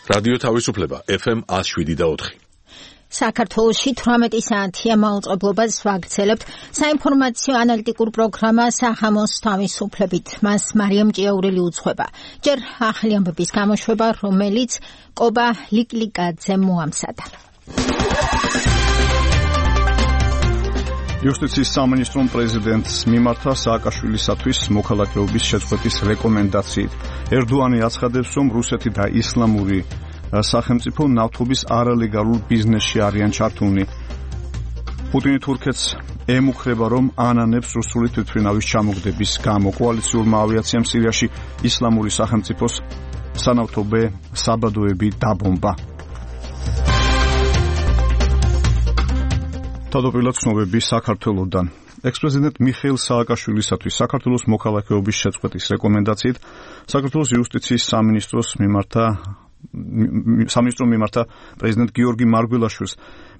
რადიო თავისუფლება FM 107.4. საქართველოში 18 საათია მაუწყებლობას ვაგრძელებთ საინფორმაციო ანალიტიკურ პროგრამა სახამოს თავისუფლებით. მას მარიამ ჭიაურელი უძღვება. ჯერ ახალი ამბების გამოშვება, რომელიც კობა ლიკლიკაძემ მოამზადა. იუსტიციის სამინისტრომ პრეზიდენტს მიმართა სააკაშვილისათვის მოქალაქეობის შეწყვეტის რეკომენდაციით. ერდოანი აცხადებს, რომ რუსეთი და ისლამური სახელმწიფო ნავთობის არალეგალურ ბიზნესში არიან ჩართულნი. პუტინი თურქეთს ემუქრება, რომ ანანებს რუსული თვითმფრინავის ჩამოგდების გამო. კოალიციურმა ავიაციამ სირიაში ისლამური სახელმწიფოს სანავთობე საბადოები დაბომბა. თავდაპირველად ცნობები საქართველოსდან. ექს-პრეზიდენტ მიხეილ სააკაშვილისათვის საქართველოს მოქალაქეობის შეწყვეტის რეკომენდაციით საქართველოს იუსტიციის სამინისტრომ მიმართა პრეზიდენტ გიორგი მარგველაშვილს.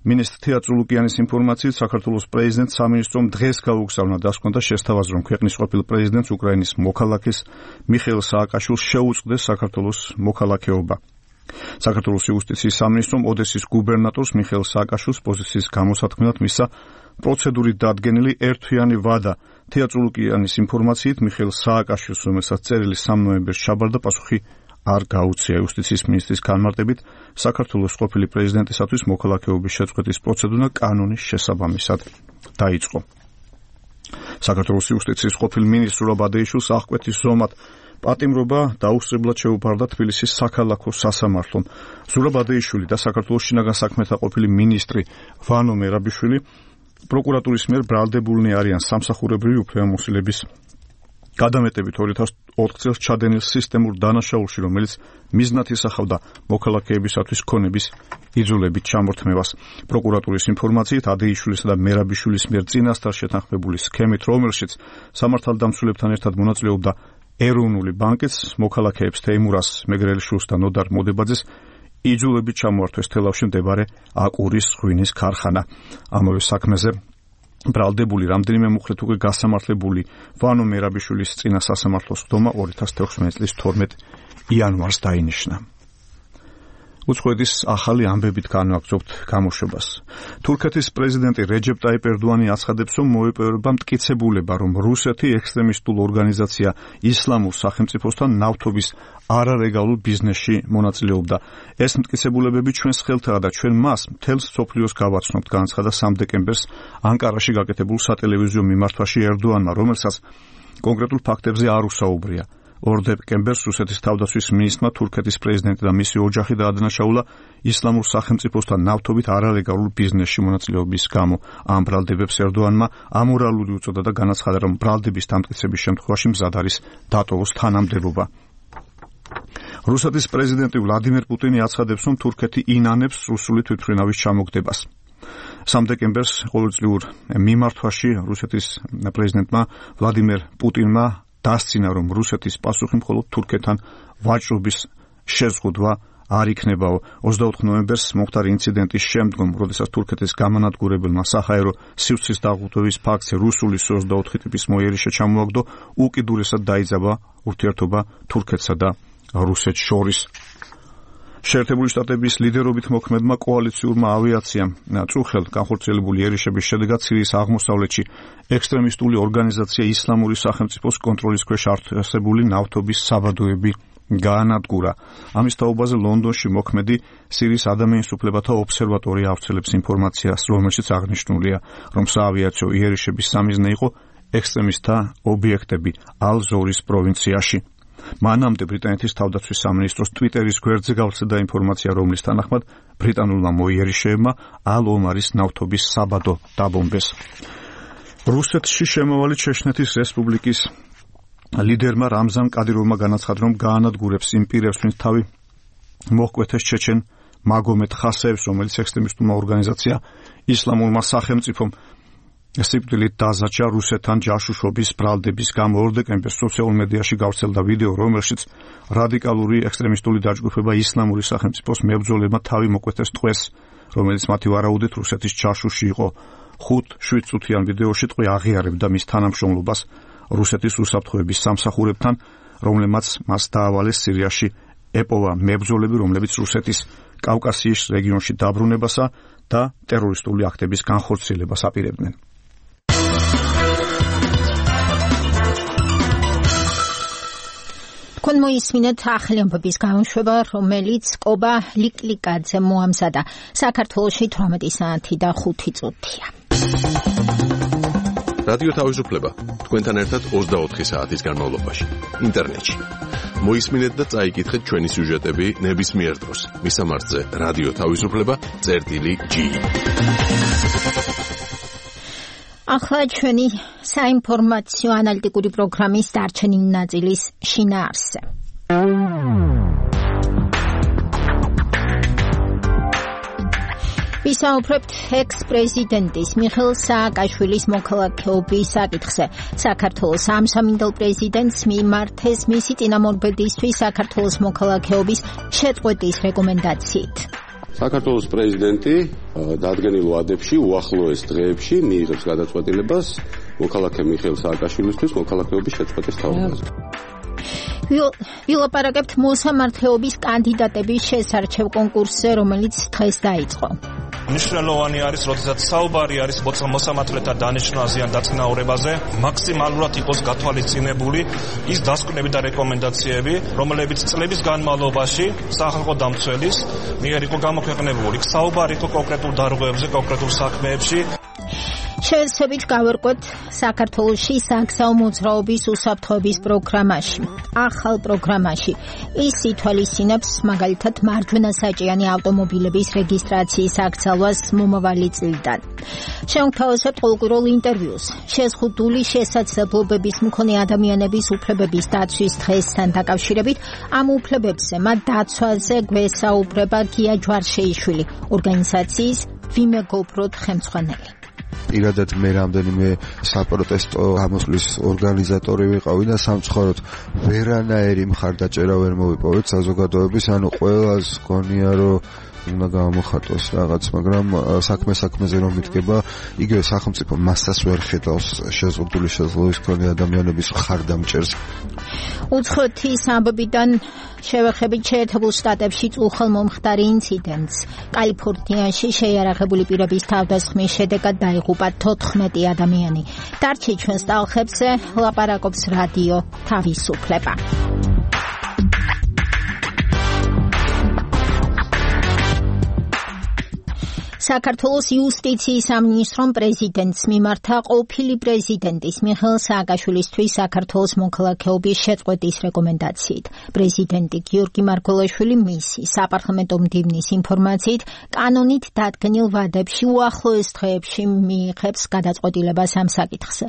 მინისტრ თეატრო ლუკიანის ინფორმაციით საქართველოს პრეზიდენტ სამინისტრომ დღეს გაუგზავნა დასკვნოდა შესთავაზა, რომ ქვეყნის ყოფილ პრეზიდენტს უკრაინის მოქალაქეს მიხეილ სააკაშვილს შეუწყდეს საქართველოს მოქალაქეობა. საქართველოს იუსტიციის სამინისტრომ ოდესის გუბერნატორს მიხეილ სააკაშვილს პოზიციის გამოსათქმელად მისცა პროცედურით დადგენილი ერთთვიანი ვადა. თეატრო ლუკიანის ინფორმაციით მიხეილ სააკაშვილს, რომელსაც წერილი 3 ნოემბერს ჩაბარდა, პასუხი არ გაუწია. იუსტიციის მინისტრის განმარტებით საქართველოს ყოფილი პრეზიდენტისათვის მოქალაქეობის შეწყვეტის პროცედურა კანონის შესაბამისად დაიწყო. საქართველოს იუსტიციის ყოფილ მინისტრ ზურაბ ადეიშვილს აღკვეთის ზომად პატიმრობა დაუსწრებლად შეუფარდა თბილისის საქალაქო სასამართლომ. ზურაბ ადეიშვილი და საქართველოს შინაგან საქმეთა ყოფილი მინისტრი ვანო მერაბიშვილი პროკურატურის მიერ ბრალდებულნი არიან სამსახურებრივი უფლებამოსილების გადამეტებით 2004 წელს ჩადენილ სისტემურ დანაშაულში, რომელიც მიზნად ისახავდა მოქალაქეებისათვის ქონების იძულებით ჩამორთმევას. პროკურატურის ინფორმაციით ადეიშვილისა და მერაბიშვილის მიერ წინასწარ შეთანხმებული სქემით, რომელშიც სამართალდამცველებთან ერთად მონაწილეობდა ეროვნული ბანკიც, მოქალაქეებს თეიმურას მეგრელიშვილს და ნოდარ მოდებაძეს იძულებით ჩამოართვეს თელავში მდებარე აკურის ღვინის ქარხანა. ამავე საქმეზე ბრალდებული რამდენიმე მუხლით უკვე გასამართლებული ვანო მერაბიშვილის წინა სასამართლოს ხდომა 2016 წლის 12 იანვარს დაინიშნა. უცხოეთის ახალი ამბებით განვაგრძობთ გამოშვებას. თურქეთის პრეზიდენტი რეჯეპ ტაიპ ერდოანი აცხადებს, რომ მოეპოვება მტკიცებულება, რომ რუსეთი ექსტრემისტულ ორგანიზაცია ისლამურ სახელმწიფოსთან ნავთობის არალეგალურ ბიზნესში მონაწილეობდა. ეს მტკიცებულებები ჩვენს ხელთაა და ჩვენ მას მთელს მსოფლიოს გავაცნობთ, განაცხადა 3 დეკემბერს ანკარაში გაკეთებულ სატელევიზიო მიმართვაში ერდოანმა, რომელსაც კონკრეტულ ფაქტებზე არ უსაუბრია. 2 დეკემბერს რუსეთის თავდაცვის მინისტრმა თურქეთის პრეზიდენტი და მისი ოჯახი დაადანაშაულა ისლამურ სახელმწიფოსთან ნავთობით არალეგალურ ბიზნესში მონაწილეობის გამო. ამ ბრალდებებს ერდოანმა ამორალური უწოდა და განაცხადა, რომ ბრალდების დამტკიცების შემთხვევაში მზად არის დატოვოს თანამდებობა. რუსეთის პრეზიდენტი ვლადიმერ პუტინი აცხადებს, რომ თურქეთი ინანებს რუსული თვითმფრინავის ჩამოგდებას. 3 დეკემბერს ყოველწლიურ მიმართვაში რუსეთის პრეზიდენტმა ვლადიმერ პუტინმა დასცინა, რომ რუსეთის პასუხი მხოლოდ თურქეთთან ვაჭრობის შეზღუდვა არ იქნებაო. 24 ნოემბერს მომხდარი ინციდენტის შემდგომ, როდესაც თურქეთის გამანადგურებელმა საჰაერო სივრცის დაღუპვის ფაქტზე რუსული 24 ტიპის მოიერიშე ჩამოაგდო, უკიდურესად დაიძაბა ურთიერთობა თურქეთსა და რუსეთს შორის. შეერთებული შტატების ლიდერობით მოქმედმა კოალიციურმა ავიაციამ წუხელ განხორციელებული იერიშების შედეგად სირიის აღმოსავლეთში ექსტრემისტული ორგანიზაცია ისლამური სახელმწიფოს კონტროლის ქვეშ არსებული ნავთობის საბადოები გაანადგურა. ამის თაობაზე ლონდონში მოქმედი სირიის ადამიანის უფლებათა ობსერვატორია ავრცელებს ინფორმაციას, რომელშიც აღნიშნულია, რომ საავიაციო იერიშების სამიზნე იყო ექსტრემისტთა ობიექტები ალ-ზორის პროვინციაში. მანამდე ბრიტანეთის თავდაცვის სამინისტროს ტვიტერის გვერდზე გავრცელდა ინფორმაცია, რომლის თანახმად ბრიტანულმა მოიერიშეებმა ალ-ომარის ნავთობის საბადო დაბომბეს. რუსეთში შემავალი ჩეჩნეთის რესპუბლიკის ლიდერმა რამზან კადიროვმა განაცხადა, რომ გაანადგურებს იმ პირებს, ვინც თავი მოჰკვეთეს ჩეჩენ მაგომედ ხასეევს, რომელიც ექსტრემისტულმა ორგანიზაცია ისლამურმა სახელმწიფომ სიკვდილით დაზარჩა რუსეთთან ჯაშუშობის ბრალდების გამო. 2 დეკემბერს სოციალურ მედიაში გავრცელდა ვიდეო, რომელშიც რადიკალური ექსტრემისტული დაჯგუფება ისლამური სახელმწიფოს მებრძოლებმა თავი მოკვეთეს ტყვეს, რომელიც მათი ვარაუდით რუსეთის ჯაშუში იყო. 5-7 წუთიან ვიდეოში ტყვე აღიარებდა მის თანამშრომლობას რუსეთის უსაფრთხოების სამსახურებთან, რომლებმაც მას დაავალეს სირიაში ეპოვა მებრძოლები, რომლებიც რუსეთის კავკასიის რეგიონში დაბრუნებასა და ტერორისტული აქტების განხორციელებას აპირებდნენ. თქვენ მოისმინეთ ახალი ამბების გამოშვება, რომელიც კობა ლიკლიკაძემ მოამზადა. საქართველოში 18 საათი და 5 წუთია. რადიო თავისუფლება თქვენთან ერთად 24 საათის განმავლობაში ინტერნეტში. მოისმინეთ და წაიკითხეთ ჩვენი სიუჟეტები ნებისმიერ დროს. მისამართზე რადიო თავისუფლება.gi. ახლა ჩვენი საინფორმაციო ანალიტიკური პროგრამის დარჩენილი ნაწილის შინაარსზე. ვისაუბრებთ ექს-პრეზიდენტის მიხეილ სააკაშვილის მოქალაქეობის საკითხზე. საქართველოს ამსამინდელ პრეზიდენტს მიმართეს მისი წინამორბედისთვის საქართველოს მოქალაქეობის შეწყვეტის რეკომენდაციით. საქართველოს პრეზიდენტი დადგენილ ვადებში უახლოეს დღეებში მიიღებს გადაწყვეტილებას მოქალაქე მიხეილ სააკაშვილისთვის მოქალაქეობის შეწყვეტის თაობაზე. ვილაპარაკებთ მოსამართლეობის კანდიდატების შესარჩევ კონკურსზე, რომელიც დღეს დაიწყო. მნიშვნელოვანი არის, როდესაც საუბარი არის მოსამართლეთა დანიშვნაზე ან დაწინაურებაზე, მაქსიმალურად იყოს გათვალისწინებული ის დასკვნები და რეკომენდაციები, რომლებიც წლების განმავლობაში სახალხო დამცველის მიერ იყო გამოქვეყნებული. საუბარი იყო კონკრეტულ დარღვევებზე, კონკრეტულ საქმეებში. შევსებით გავერკვეთ საქართველოში საგზაო მოძრაობის უსაფრთხოების პროგრამაში. ახალ პროგრამაში ის ითვალისწინებს მაგალითად მარჯვენა საჭიანი ავტომობილების რეგისტრაციის აკრძალვას მომავალი წლიდან. შევთავაზებთ ყოველკვირეულ ინტერვიუს შეზღუდული შესაძლებლობების მქონე ადამიანების უფლებების დაცვის დღესთან დაკავშირებით. ამ უფლებებზე მათ დაცვაზე გვესაუბრება გია ჯვარშეიშვილი, ორგანიზაციის ვიმეგობროთ ხელმძღვანელი. პირადად მე რამდენიმე საპროტესტო გამოსვლის ორგანიზატორი ვიყავი და სამწუხაროდ ვერანაირი მხარდაჭერა ვერ მოვიპოვეთ საზოგადოების, ანუ ყველას გონია რომ უნდა გამოხატოს რაღაც, მაგრამ საქმეზე რომ მიდგება, იგივე სახელმწიფო მასას ვერ ხედავს შეზღუდული შესაძლებლობის მქონე ადამიანების მხარდამჭერს. უცხოეთის ამბებიდან შევეხებით შეერთებულ შტატებში უხელმომხდარი ინციდენტს. კალიფორნიაში შეიარაღებული პირების თავდასხმის შედეგად დაიღუპა 14 ადამიანი. დარჩი ჩვენს ტალღებზე ლაპარაკობს რადიო თავისუფლება. საქართველოს იუსტიციის სამინისტრომ პრეზიდენტს მიმართა ყოფილი პრეზიდენტის მიხეილ სააკაშვილისთვის საქართველოს მოქალაქეობის შეწყვეტის რეკომენდაციით. პრეზიდენტი გიორგი მარგველაშვილი მისი საპარლამენტო მდივნის ინფორმაციით კანონით დადგენილ ვადებში უახლოეს დღეებში მიიღებს გადაწყვეტილებას ამ საკითხზე.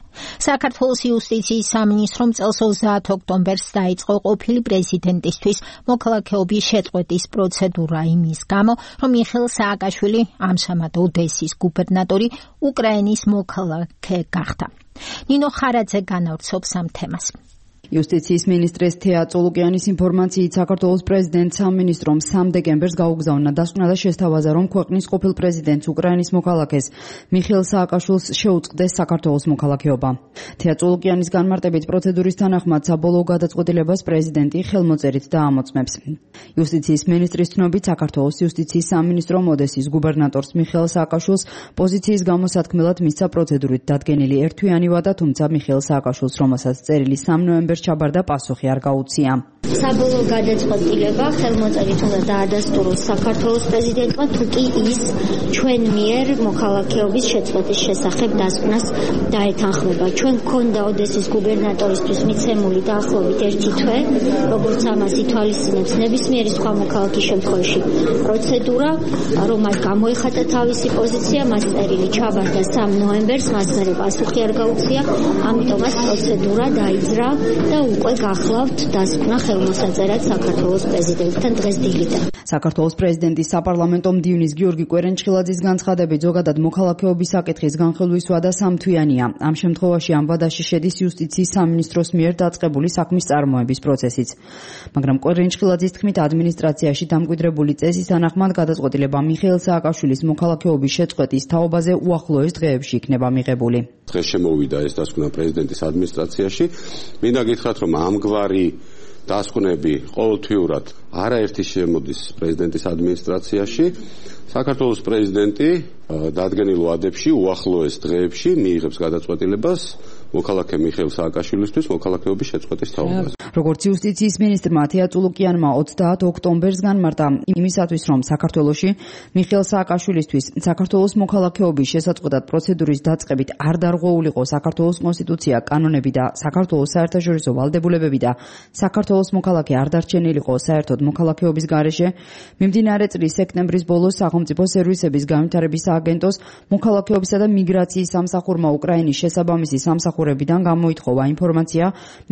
საქართველოს იუსტიციის სამინისტრომ წელს 30 ოქტომბერს დაიწყო ყოფილი პრეზიდენტისთვის მოქალაქეობის შეწყვეტის პროცედურა იმის გამო, რომ მიხეილ სააკაშვილი ამჟამად ოდესის გუბერნატორი უკრაინის მოქალაქე გახდა. ნინო ხარაძე განავრცობს ამ თემას. იუსტიციის მინისტრის თეა წოლუკიანის ინფორმაციით საქართველოს პრეზიდენტ სამინისტრომ 3 დეკემბერს გაუგზავნა დასკვნა და შესთავაზა, რომ ქვეყნის ყოფილ პრეზიდენტს უკრაინის მოქალაქეს მიხეილ სააკაშვილს შეუწყდეს საქართველოს მოქალაქეობა. თეა წოლუკიანის განმარტებით პროცედურის თანახმად საბოლოო გადაწყვეტილებას პრეზიდენტი ხელმოწერით დაამოწმებს. იუსტიციის მინისტრის ცნობით საქართველოს იუსტიციის სამინისტრომ ოდესის გუბერნატორს მიხეილ სააკაშვილს პოზიციის გამოსათქმელად მისცა პროცედურით დადგენილი ერთთვიანი ვადა, თუმცა მიხეილ სააკაშვილს, რომელსაც წერილი 3 ნოემბერს ჩაბარდა, პასუხი არ გაუწია. საბოლოო გადაწყვეტილება ხელმოწერით უნდა დაადასტუროს საქართველოს პრეზიდენტმა, თუ კი ის ჩვენ მიერ მოქალაქეობის შეწყვეტის შესახებ დასკვნას დაეთანხმება. ჩვენ გქონდა ოდესის გუბერნატორისთვის მიცემული დაახლოებით 1 თვე, როგორც ამას ითვალისწინებს ნებისმიერი სხვა მოქალაქის შემთხვევაში პროცედურა, რომ მას გამოეხატა თავისი პოზიცია, მას წერილი ჩაბარდა 3 ნოემბერს, მას მერე პასუხი არ გაუწია, ამიტომ მას პროცედურა დაიძრა და უკვე გახლავთ დასკვნა ხელმოსაწერად საქართველოს პრეზიდენტთან დღეს დილიდან. საქართველოს პრეზიდენტის საპარლამენტო მდივნის გიორგი კვერენჩხილაძის განცხადებით, ზოგადად მოქალაქეობის საკითხის განხილვის ვადა 3 თვიანია. ამ შემთხვევაში ამ ვადაში შედის იუსტიციის სამინისტროს მიერ დაწყებული საქმის წარმოების პროცესიც. მაგრამ კვერენჩხილაძის თქმით, ადმინისტრაციაში დამკვიდრებული წესის თანახმად გადაწყვეტილება მიხეილ სააკაშვილის მოქალაქეობის შეწყვეტის თაობაზე უახლოეს დღეებში იქნება მიღებული. დღეს შემოვიდა ეს დასკვნა პრეზიდენტის ადმინისტრაციაში. მინდა გითხრათ, რომ ამგვარი დასკვნები ყოველთვიურად არაერთი შემოდის პრეზიდენტის ადმინისტრაციაში. საქართველოს პრეზიდენტი დადგენილ ვადებში, უახლოეს დღეებში მიიღებს გადაწყვეტილებას მოქალაქე მიხეილ სააკაშვილისთვის მოქალაქეობის შეწყვეტის თაობაზე. როგორც იუსტიციის მინისტრმა თეა წულუკიანმა 30 ოქტომბერს განმარტა იმისათვის, რომ საქართველოში მიხეილ სააკაშვილისთვის საქართველოს მოქალაქეობის შესაწყვეტად პროცედურის დაწყებით არ დარღვეულიყო საქართველოს კონსტიტუცია, კანონები და საქართველოს საერთაშორისო ვალდებულებები და საქართველოს მოქალაქე არ დარჩენილიყო საერთოდ მოქალაქეობის გარეშე, მიმდინარე წლის სექტემბრის ბოლოს სახელმწიფო სერვისების განვითარების სააგენტოს მოქალაქეობისა და მიგრაციის სამსახურმა უკრაინის შესაბამისი სამსახურებიდან გამოითხოვა ინფორმაცია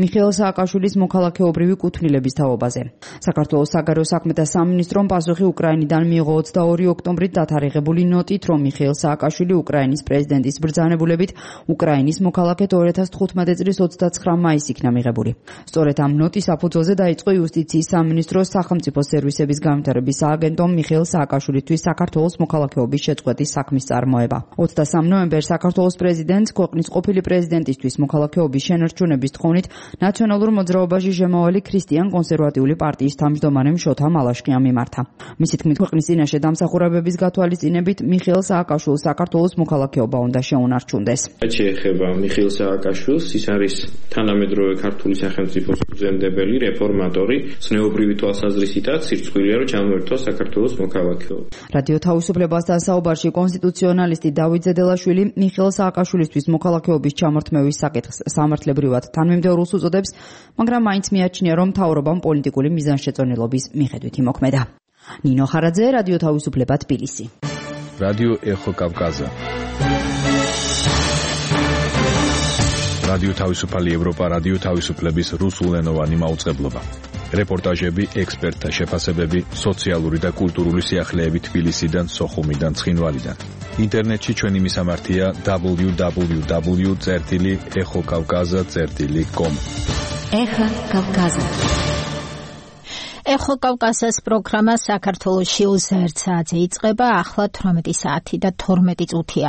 მიხეილ სააკაშვილის მოქალაქეობრივი კუთვნილების თაობაზე. საქართველოს საგარეო საქმეთა სამინისტრომ პასუხი უკრაინიდან მიიღო 22 ოქტომბრით დათარიღებული ნოტით, რომ მიხეილ სააკაშვილი უკრაინის პრეზიდენტის ბრძანებულებით უკრაინის მოქალაქედ 2015 წლის 29 მაისს იქნა მიღებული. სწორედ ამ ნოტის საფუძველზე დაიწყო იუსტიციის სამინისტროს სახელმწიფო სერვისების განვითარების სააგენტომ მიხეილ სააკაშვილისთვის საქართველოს მოქალაქეობის შეწყვეტის საქმის წარმოება. 23 ნოემბერს საქართველოს პრეზიდენტს ქვეყნის ყოფილი პრეზიდენტისთვის მოქალაქეობის შენარჩუნების თხოვნით ნაციონალურ მოძრაობაში შემავალი ქრისტიან კონსერვატიული პარტიის თავმჯდომარემ შოთა მალაშკიამ მიმართა. მისი თქმით, ქვეყნის წინაშე დამსახურებების გათვალისწინებით მიხეილ სააკაშვილს საქართველოს მოქალაქეობა უნდა შეუნარჩუნდეს. შეეხება მიხეილ სააკაშვილს, ის არის თანამედროვე ქართული სახელმწიფოს ფუძემდებელი, რეფორმატორი, ზნეობრივი თვალსაზრისითაც სირცხვილია, რომ ჩამოერთვა საქართველოს მოქალაქეობა. რადიო თავისუფლებასთან საუბარში კონსტიტუციონალისტი დავით ზედელაშვილი მიხეილ სააკაშვილისთვის მოქალაქეობის ჩამორთმევის საკითხს სამართლებრივად თანმიმდევრულს უწოდებს, მაგრამ მაინც მიაჩნია, რომ მთავრობამ პოლიტიკური მიზანშეწონილობის მიხედვით იმოქმედა. ნინო ხარაძე, რადიო თავისუფლება, თბილისი. რადიო ეხო კავკაზა. რადიო თავისუფალი ევროპა, რადიო თავისუფლების რუსულენოვანი მაუწყებლობა. რეპორტაჟები, ექსპერტთა შეფასებები, სოციალური და კულტურული სიახლეები თბილისიდან, სოხუმიდან, ცხინვალიდან. ინტერნეტში ჩვენი მისამართია www.exokavkaza.com. ეხა კავკაზა. ეხო კავკაზას პროგრამა საქართველოში 21 საათზე იწყება, ახლა 18 საათი და 12 წუთია.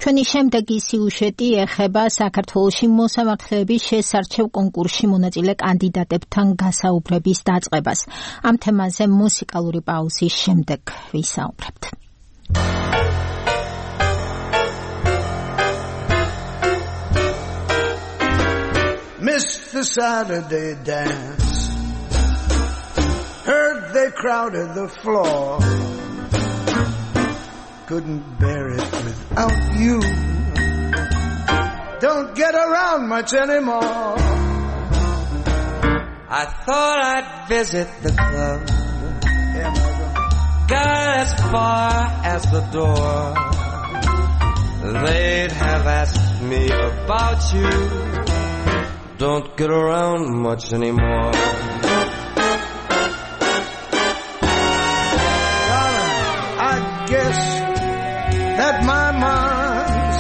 ჩვენი შემდეგი სიუჟეტი ეხება საქართველოში მოსამართლეების შესარჩევ კონკურსში მონაწილე კანდიდატებთან გასაუბრების დაწყებას. ამ თემაზე მუსიკალური პაუზის შემდეგ ვისაუბრებთ. Missed the Saturday dance. Heard they crowded the floor. Couldn't bear it without you. Don't get around much anymore. I thought I'd visit the club. Got as far as the door. They'd have asked me about you. Don't get around much anymore. Guess that my mind's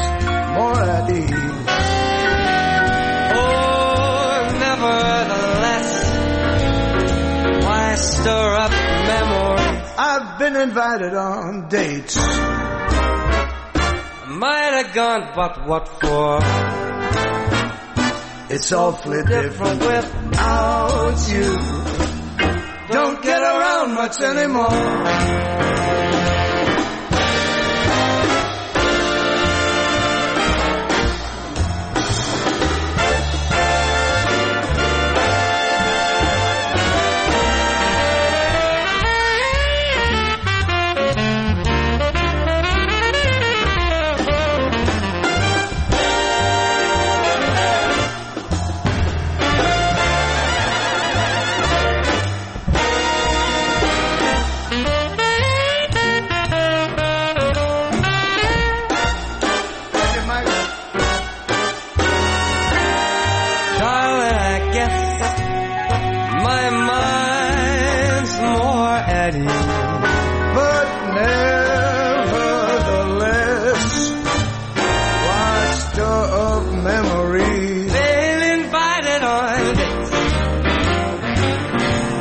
more at ease. Oh, nevertheless, why stir up memories? I've been invited on dates. Might have gone, but what for? It's awfully different without you. Don't get around much anymore.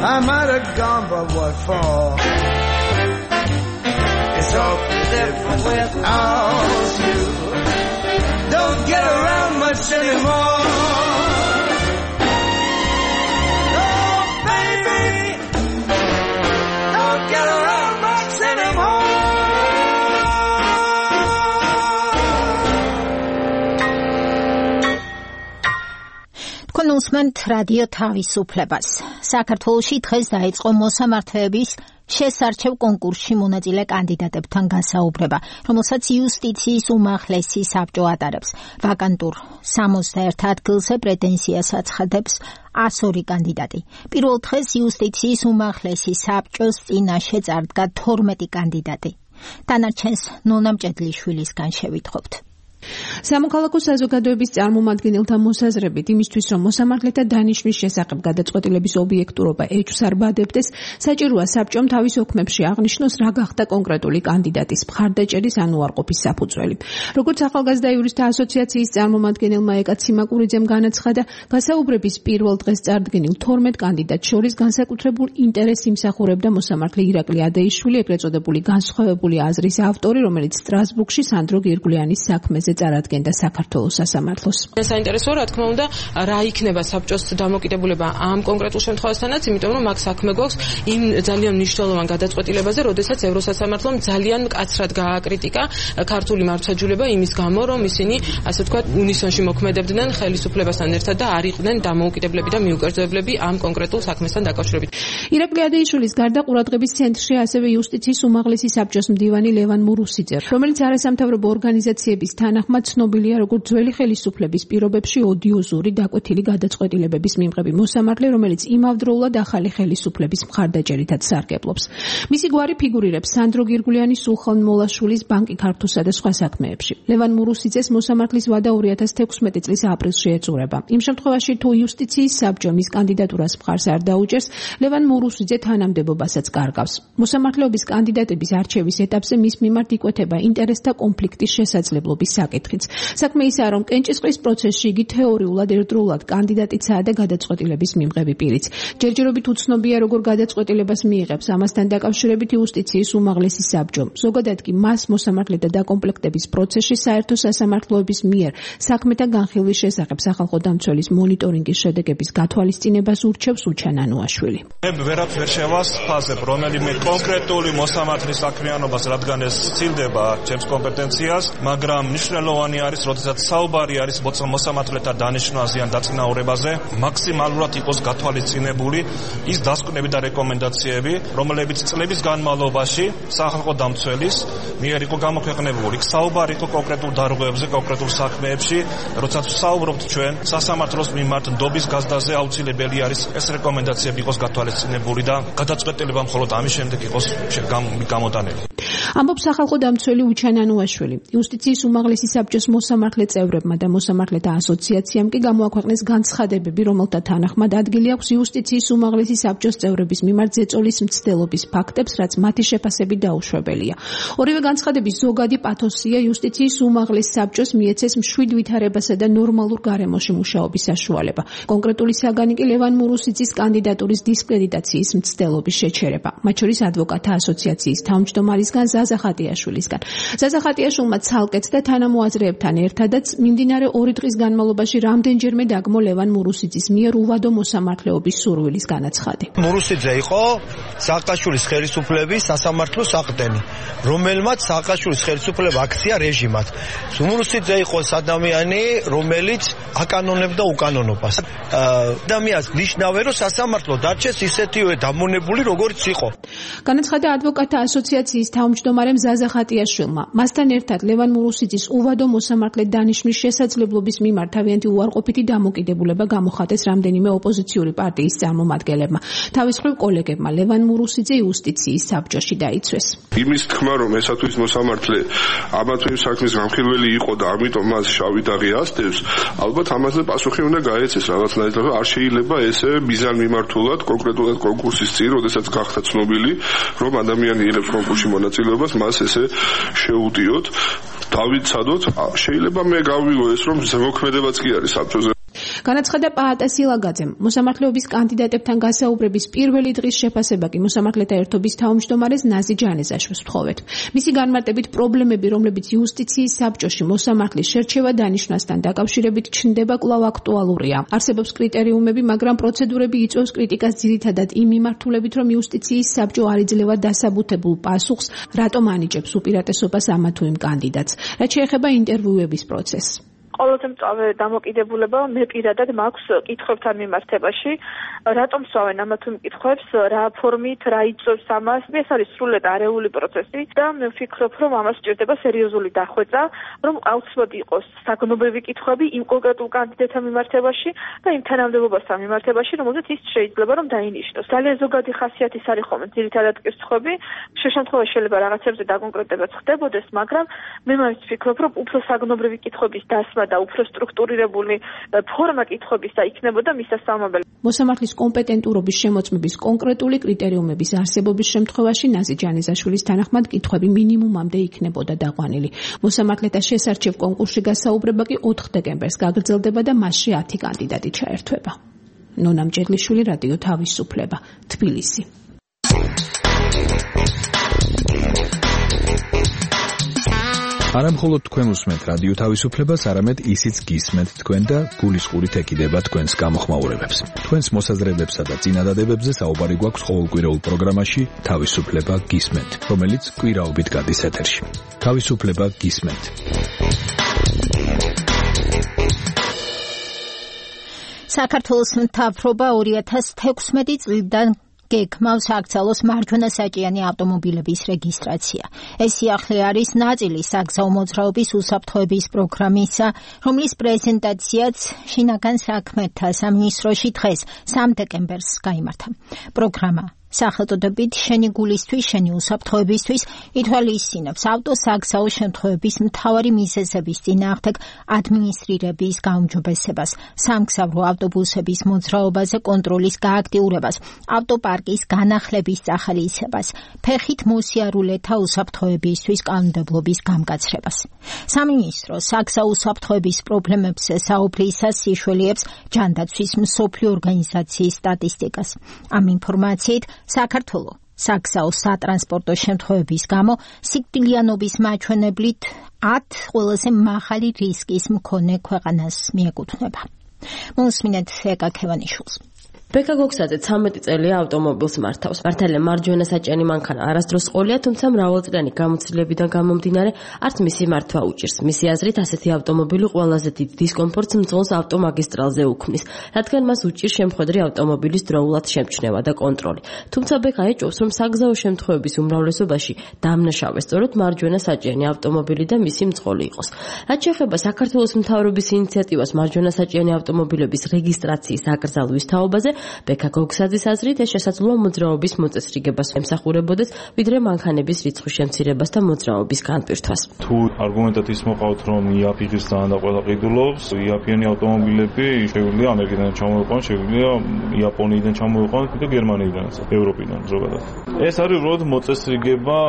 I might have gone, but what for? It's all different without you. Don't get around much anymore. Oh, თქვენ უსმენთ რადიო თავისუფლებას. საქართველოში დღეს დაიწყო მოსამართლეების შესარჩევ კონკურსში მონაწილე კანდიდატებთან გასაუბრება, რომელსაც იუსტიციის უმაღლესი საბჭო ატარებს. ვაკანტურ 61 ადგილზე პრეტენზიას აცხადებს 102 კანდიდატი. პირველ დღეს იუსტიციის უმაღლესი საბჭოს წინაშე წარდგა 12 კანდიდატი. დანარჩენს ნონა მჭედლიშვილისგან შევითხოვთ. სამოქალაქო საზოგადოების წარმომადგენელთა მოსაზრებით იმისთვის, რომ მოსამართლეთა დანიშვნის შესახებ გადაწყვეტილების ობიექტურობა ეჭვს არ ბადებდეს, საჭიროა საბჭომ თავის ოქმებში აღნიშნოს, რა გახდა კონკრეტული კანდიდატის მხარდაჭერის ან უარყოფის საფუძველი. როგორც ახალგაზრდა იურისტთა ასოციაციის წარმომადგენელმა ეკა ციმაკურიძემ განაცხადა, გასაუბრების პირველ დღეს წარდგენილ 12 კანდიდატს შორის განსაკუთრებულ ინტერესს იმსახურებდა მოსამართლე ირაკლი ადეიშვილი, ეგრეთ წოდებული განსხვავებული აზრის ავტორი, რომელიც სტრასბურგში სანდრო გირგვლიანის საქმეზე წარადგენდა საქართველოს სასამართლოს. საინტერესოა, რა თქმა უნდა, რა იქნება საბჭოს დამოკიდებულება ამ კონკრეტულ შემთხვევასთანაც, იმიტომ რომ მაგ საქმე გვაქვს იმ ძალიან მნიშვნელოვან გადაწყვეტილებაზე, როდესაც ევროსასამართლომ ძალიან მკაცრად გააკრიტიკა ქართული მართლმსაჯულება იმის გამო, რომ ისინი, ასე ვთქვათ, უნისონში მოქმედებდნენ ხელისუფლებასთან ერთად და არ იყვნენ დამოუკიდებლები და მიუკერძოებლები ამ კონკრეტულ საქმესთან დაკავშირებით. ირაკლი ადეიშვილის გარდა ყურადღების ცენტრში ასევე იუსტიციის უმაღლესი საბჭოს მდივანი ლევან მურუსიძე, რომელიც არასამთავრობო ორგანიზაციების თანახმად ცნობილია როგორც ძველი ხელისუფლების პირობებში ოდიოზური დაკვეთილი გადაწყვეტილებების მიმღები მოსამართლე, რომელიც იმავდროულად ახალი ხელისუფლების მხარდაჭერითაც სარგებლობს. მისი გვარი ფიგურირებს სანდრო გირგვლიანი, სულხან მოლაშვილის, ბანკი ქართულსა და სხვა საქმეებში. ლევან მურუსიძეს მოსამართლის ვადა 2016 წლის აპრილში ეწურება. იმ შემთხვევაში, თუ იუსტიციის საბჭო მის კანდიდატურას მხარს არ დაუჭერს, ლევან მურუსიძე თანამდებობასაც კარგავს. მოსამართლეობის კანდიდატების არჩევის ეტაპზე მის მიმართ იკვეთება ინტერესთა კონფლიქტის შესაძლებლობის საკითხიც. საქმე ისაა, რომ კენჭისყრის პროცესში იგი თეორიულად ერთდროულად კანდიდატიცაა და გადაწყვეტილების მიმღები პირიც. ჯერჯერობით უცნობია, როგორ გადაწყვეტილებას მიიღებს ამასთან დაკავშირებით იუსტიციის უმაღლესი საბჭო. ზოგადად კი მას მოსამართლეთა დაკომპლექტების პროცესში საერთო სასამართლოების მიერ საქმეთა განხილვის შესახებ სახალხო დამცველის მონიტორინგის შედეგების გათვალისწინებას ურჩევს უჩან ანუაშვილი. მე ვერაფერ შევასფაზებ რომელიმე კონკრეტული მოსამართლის საქმიანობას, რადგან ეს სცილდება ჩემს კომპეტენციას, მაგრამ მნიშვნელოვანი არის, როდესაც საუბარი არის მოსამართლეთა დანიშვნაზე ან დაწინაურებაზე, მაქსიმალურად იყოს გათვალისწინებული ის დასკვნები და რეკომენდაციები, რომლებიც წლების განმავლობაში სახალხო დამცველის მიერ იყო გამოქვეყნებული. საუბარი იყო კონკრეტულ დარღვევებზე, კონკრეტულ საქმეებში, როდესაც ვსაუბრობთ ჩვენ სასამართლოს მიმართ ნდობის გაზდაზე, აუცილებელი არის ეს რეკომენდაციები იყოს გათვალისწინებული და გადაწყვეტილება მხოლოდ ამის შემდეგ იყოს გამოტანილი. ამბობს სახალხო დამცველი უჩან ანუაშვილი. იუსტიციის უმაღლესი საბჭოს მოსამართლე წევრებმა და მოსამართლეთა ასოციაციამ კი გამოაქვეყნეს განცხადებები, რომელთა თანახმად ადგილი აქვს იუსტიციის უმაღლესი საბჭოს წევრების მიმართ ზეწოლის მცდელობის ფაქტებს, რაც მათი შეფასებით დაუშვებელია. ორივე განცხადების ზოგადი პათოსია იუსტიციის უმაღლეს საბჭოს მიეცეს მშვიდ ვითარებასა და ნორმალურ გარემოში მუშაობის საშუალება. კონკრეტული საგანი კი ლევან მურუსიძის კანდიდატურის დისკრედიტაციის მცდელობის შეჩერება, მათ შორის ადვოკატთა ასოციაციის თავმჯდომარისგან ზაზა ხატიაშვილისგან. ზაზა ხატიაშვილმა ცალკეც და თანამოაზრეებთან ერთადაც მიმდინარე 2 დღის განმავლობაში რამდენჯერმე დაგმო ლევან მურუსიძის მიერ უვადო მოსამართლეობის სურვილის განაცხადი. მურუსიძე იყო სააკაშვილის ხელისუფლების სასამართლოს საყრდენი, რომელმაც სააკაშვილის ხელისუფლება აქცია რეჟიმად. მურუსიძე იყო ადამიანი, რომელიც აკანონებდა უკანონობას. ადამიანს ნიშნავენ, რომ სასამართლო დარჩეს ისეთივე დამონებული, როგორც იყო. განაცხადა ადვოკატთა ასოციაციის თავმჯდომარემ ზაზა ხატიაშვილმა. მასთან ერთად ლევან მურუსიძის უვადო მოსამართლე დანიშვნის შესაძლებლობის მიმართ თავიანთი უარყოფითი დამოკიდებულება გამოხატეს რამდენიმე ოპოზიციური პარტიის წარმომადგენლებმა. თავის მხრივ კოლეგებმა ლევან მურუსიძე იუსტიციის საბჭოში დაიცვეს. იმის თქმა, რომ ესა თუ ის მოსამართლე ამა თუ იმ საქმის განხილველი იყო და ამიტომ მას შავი დაღი ასდევს, ალბათ ამაზე პასუხი უნდა გაეცეს რაღაცნაირად, რომ არ შეიძლება ესე მიზანმიმართულად კონკრეტულად კონკურსის წინ, როდესაც გახდა ცნობილი, რომ ადამიანი იღებს კონკურსში მონაწილეობას, მას ესე შეუტიოთ. დავიცადოთ, შეიძლება მე გავიგო ეს, რომ ზემოქმედებაც კი არის საბჭოზე. განაცხადა პაატა სილაგაძემ. მოსამართლეობის კანდიდატებთან გასაუბრების პირველი დღის შეფასება კი მოსამართლეთა ერთობის თავმჯდომარეს ნაზი ჯანეზაშვილს ვთხოვეთ. მისი განმარტებით პრობლემები, რომლებიც იუსტიციის საბჭოში მოსამართლის შერჩევა დანიშვნასთან დაკავშირებით ჩნდება კვლავ აქტუალურია. არსებობს კრიტერიუმები, მაგრამ პროცედურები იწვევს კრიტიკას ძირითადად იმ მიმართულებით, რომ იუსტიციის საბჭო არ იძლევა დასაბუთებულ პასუხს, რატომ ანიჭებს უპირატესობას ამა თუ იმ კანდიდატს. რაც შეეხება ინტერვიუების პროცესს. ყველაზე მწვავე დამოკიდებულება მე პირადად მაქვს კითხვებთან მიმართებაში, რატომ სვავენ ამა თუ იმ კითხვებს, რა ფორმით, რა იწვევს ამას. ეს არის სრულად არეული პროცესი და მე ვფიქრობ, რომ ამას სჭირდება სერიოზული დახვეწა, რომ აუცილებლად იყოს საგნობრივი კითხვები იმ კონკრეტულ კანდიდატთან მიმართებაში და იმ თანამდებობასთან მიმართებაში, რომელზეც ის შეიძლება რომ დაინიშნოს. ძალიან ზოგადი ხასიათის არის ხოლმე ძირითადად კითხვები, შემთხვევაში შეიძლება რაღაცებზე დაკონკრეტებაც ხდებოდეს, მაგრამ მე მაინც ვფიქრობ, რომ უფრო საგნობრივი კითხვების დასმა და უფრო სტრუქტურირებული ფორმა კითხვების და იქნებოდა მისასალმებელი. მოსამართლის კომპეტენტურობის შემოწმების კონკრეტული კრიტერიუმების არსებობის შემთხვევაში ნაზი ჯანიზაშვილის თანახმად კითხვები მინიმუმამდე იქნებოდა დაყვანილი. მოსამართლეთა შესარჩევ კონკურსში გასაუბრება კი 4 დეკემბერს გაგრძელდება და მასში 10 კანდიდატი ჩაერთვება. ნონა მჭედლიშვილი, რადიო თავისუფლება, თბილისი. არა მხოლოდ თქვენ უსმენთ რადიო თავისუფლებას, არამედ ისიც გისმენთ თქვენ და გულისყურით ეკიდება თქვენს გამოხმაურებებს. თქვენს მოსაზრებებსა და წინადადებებზე საუბარი გვაქვს ყოველკვირეულ პროგრამაში თავისუფლება გისმენთ, რომელიც კვირაობით გადის ეთერში. თავისუფლება გისმენთ. საქართველოს მთავრობა 2016 წლიდან გეგმავს აკრძალოს მარჯვენა საჭიანი ავტომობილების რეგისტრაცია. ეს სიახლე არის ნაწილი საგზაო მოძრაობის უსაფრთხოების პროგრამისა, რომლის პრეზენტაციაც შინაგან საქმეთა სამინისტროში დღეს 3 დეკემბერს გაიმართა. პროგრამა სახელწოდებით შენი გულისთვის, შენი უსაფრთხოებისთვის ითვალისწინებს ავტოსაგზაო შემთხვევების მთავარი მიზეზების წინააღმდეგ ადმინისტრირების გაუმჯობესებას, სამგზავრო ავტობუსების მოძრაობაზე კონტროლის გააქტიურებას, ავტოპარკის განახლების წახალისებას, ფეხით მოსიარულეთა უსაფრთხოებისთვის კანონმდებლობის გამკაცრებას. სამინისტრო საგზაო უსაფრთხოების პრობლემებზე საუბრისას სიშველიებს ჯანდაცვის მსოფლიო ორგანიზაციის სტატისტიკას. ამ ინფორმაციით საქართველო საგზაო სატრანსპორტო შემთხვევების გამო სიკვდილიანობის მაჩვენებლით 10 ყველაზე მაღალი რისკის მქონე ქვეყანას მიეკუთვნება. მოსმინეთ ეკა ქევანიშვილს. ბექა გოქსაძე 13 წელია ავტომობილს მართავს. მართალია მარჯვენა საჭიანი მანქანა არასდროს ყოლია, თუმცა მრავალწლიანი გამოცდილებიდან გამომდინარე არც მისი მართვა უჭირს. მისი აზრით ასეთი ავტომობილი ყველაზე დიდ დისკომფორტს მძღოლს ავტომაგისტრალზე უქმნის, რადგან მას უჭირს შემხედრი ავტომობილის დროულად შემჩნევა და კონტროლი. თუმცა ბექა ეჭვობს, რომ საგზაო შემთხვევების უმრავლესობაში დამნაშავე სწორედ მარჯვენა საჭიანი ავტომობილი და მისი მძღოლი იყოს. რაც შეეხება საქართველოს მთავრობის ინიციატივას მარჯვენა საჭიანი ავტომობილების რეგისტრაციის აკრძალვის თაობაზე, ბექა გოგსაძის აზრით ეს შესაძლოა მოძრაობის მოწესრიგებას ემსახურებოდეს, ვიდრე მანქანების რიცხვის შემცირებას და მოძრაობის განპირთვას. თუ არგუმენტად ის მოყავთ, რომ იაფი ღირსთან და ყველა ყიდულობს, იაფიანი ავტომობილები შეგვიძლია ამერიკიდან ჩამოიყვანონ, შეგვიძლია იაპონიიდან ჩამოიყვანონ და გერმანიიდანაც, ევროპიდან ზოგადად. ეს არის უბრალოდ მოწესრიგება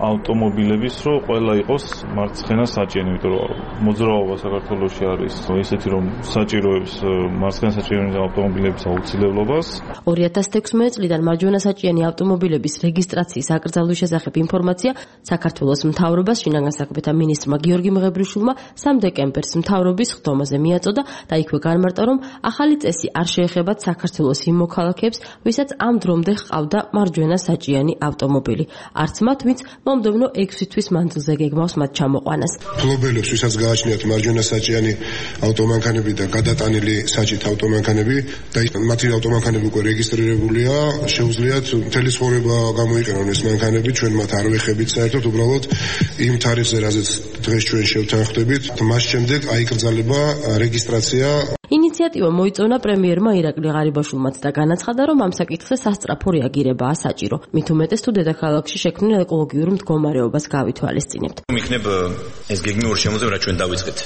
ავტომობილების, რომ ყველა იყოს მარცხენა საჭიანი, იმიტომ რომ მოძრაობა საქართველოში არის ისეთი, რომ საჭიროებს მარცხენა საჭიანი ავტომობილების აუცილებლობას. 2016 წლიდან მარჯვენა საჭიანი ავტომობილების რეგისტრაციის აკრძალვის შესახებ ინფორმაცია საქართველოს მთავრობას შინაგან საქმეთა მინისტრმა გიორგი მღებრიშვილმა 3 დეკემბერს მთავრობის ხდომაზე მიაწოდა და იქვე განმარტა, რომ ახალი წესი არ შეეხებათ საქართველოს იმ მოქალაქეებს, ვისაც ამ დრომდე ჰყავდა მარჯვენა საჭიანი ავტომობილი. არც მათ, ვინც მომდევნო 6 თვის მანძილზე გეგმავს მათ ჩამოყვანას. ფლობელებს, ვისაც გააჩნიათ მარჯვენა საჭიანი ავტომანქანები და გადატანილი საჭით ავტომანქანები და მათი ავტომანქანები უკვე რეგისტრირებულია, შეუძლიათ მთელი ცხოვრება გამოიყენონ ეს მანქანები, ჩვენ მათ არ ვეხებით საერთოდ, უბრალოდ იმ თარიღზე, რაზეც დღეს ჩვენ შევთანხმდებით, მას შემდეგ აიკრძალება რეგისტრაცია. ინიციატივა მოიწონა პრემიერმა ირაკლი ღარიბაშვილმაც და განაცხადა, რომ ამ საკითხზე სასწრაფო რეაგირებაა საჭირო. მით უმეტეს თუ დედაქალაქში შექმნილ ეკოლოგიურ მდგომარეობას გავითვალისწინებთ. იქნებ ეს გეგმი ორ შემოწმება, რაც ჩვენ დავიწყეთ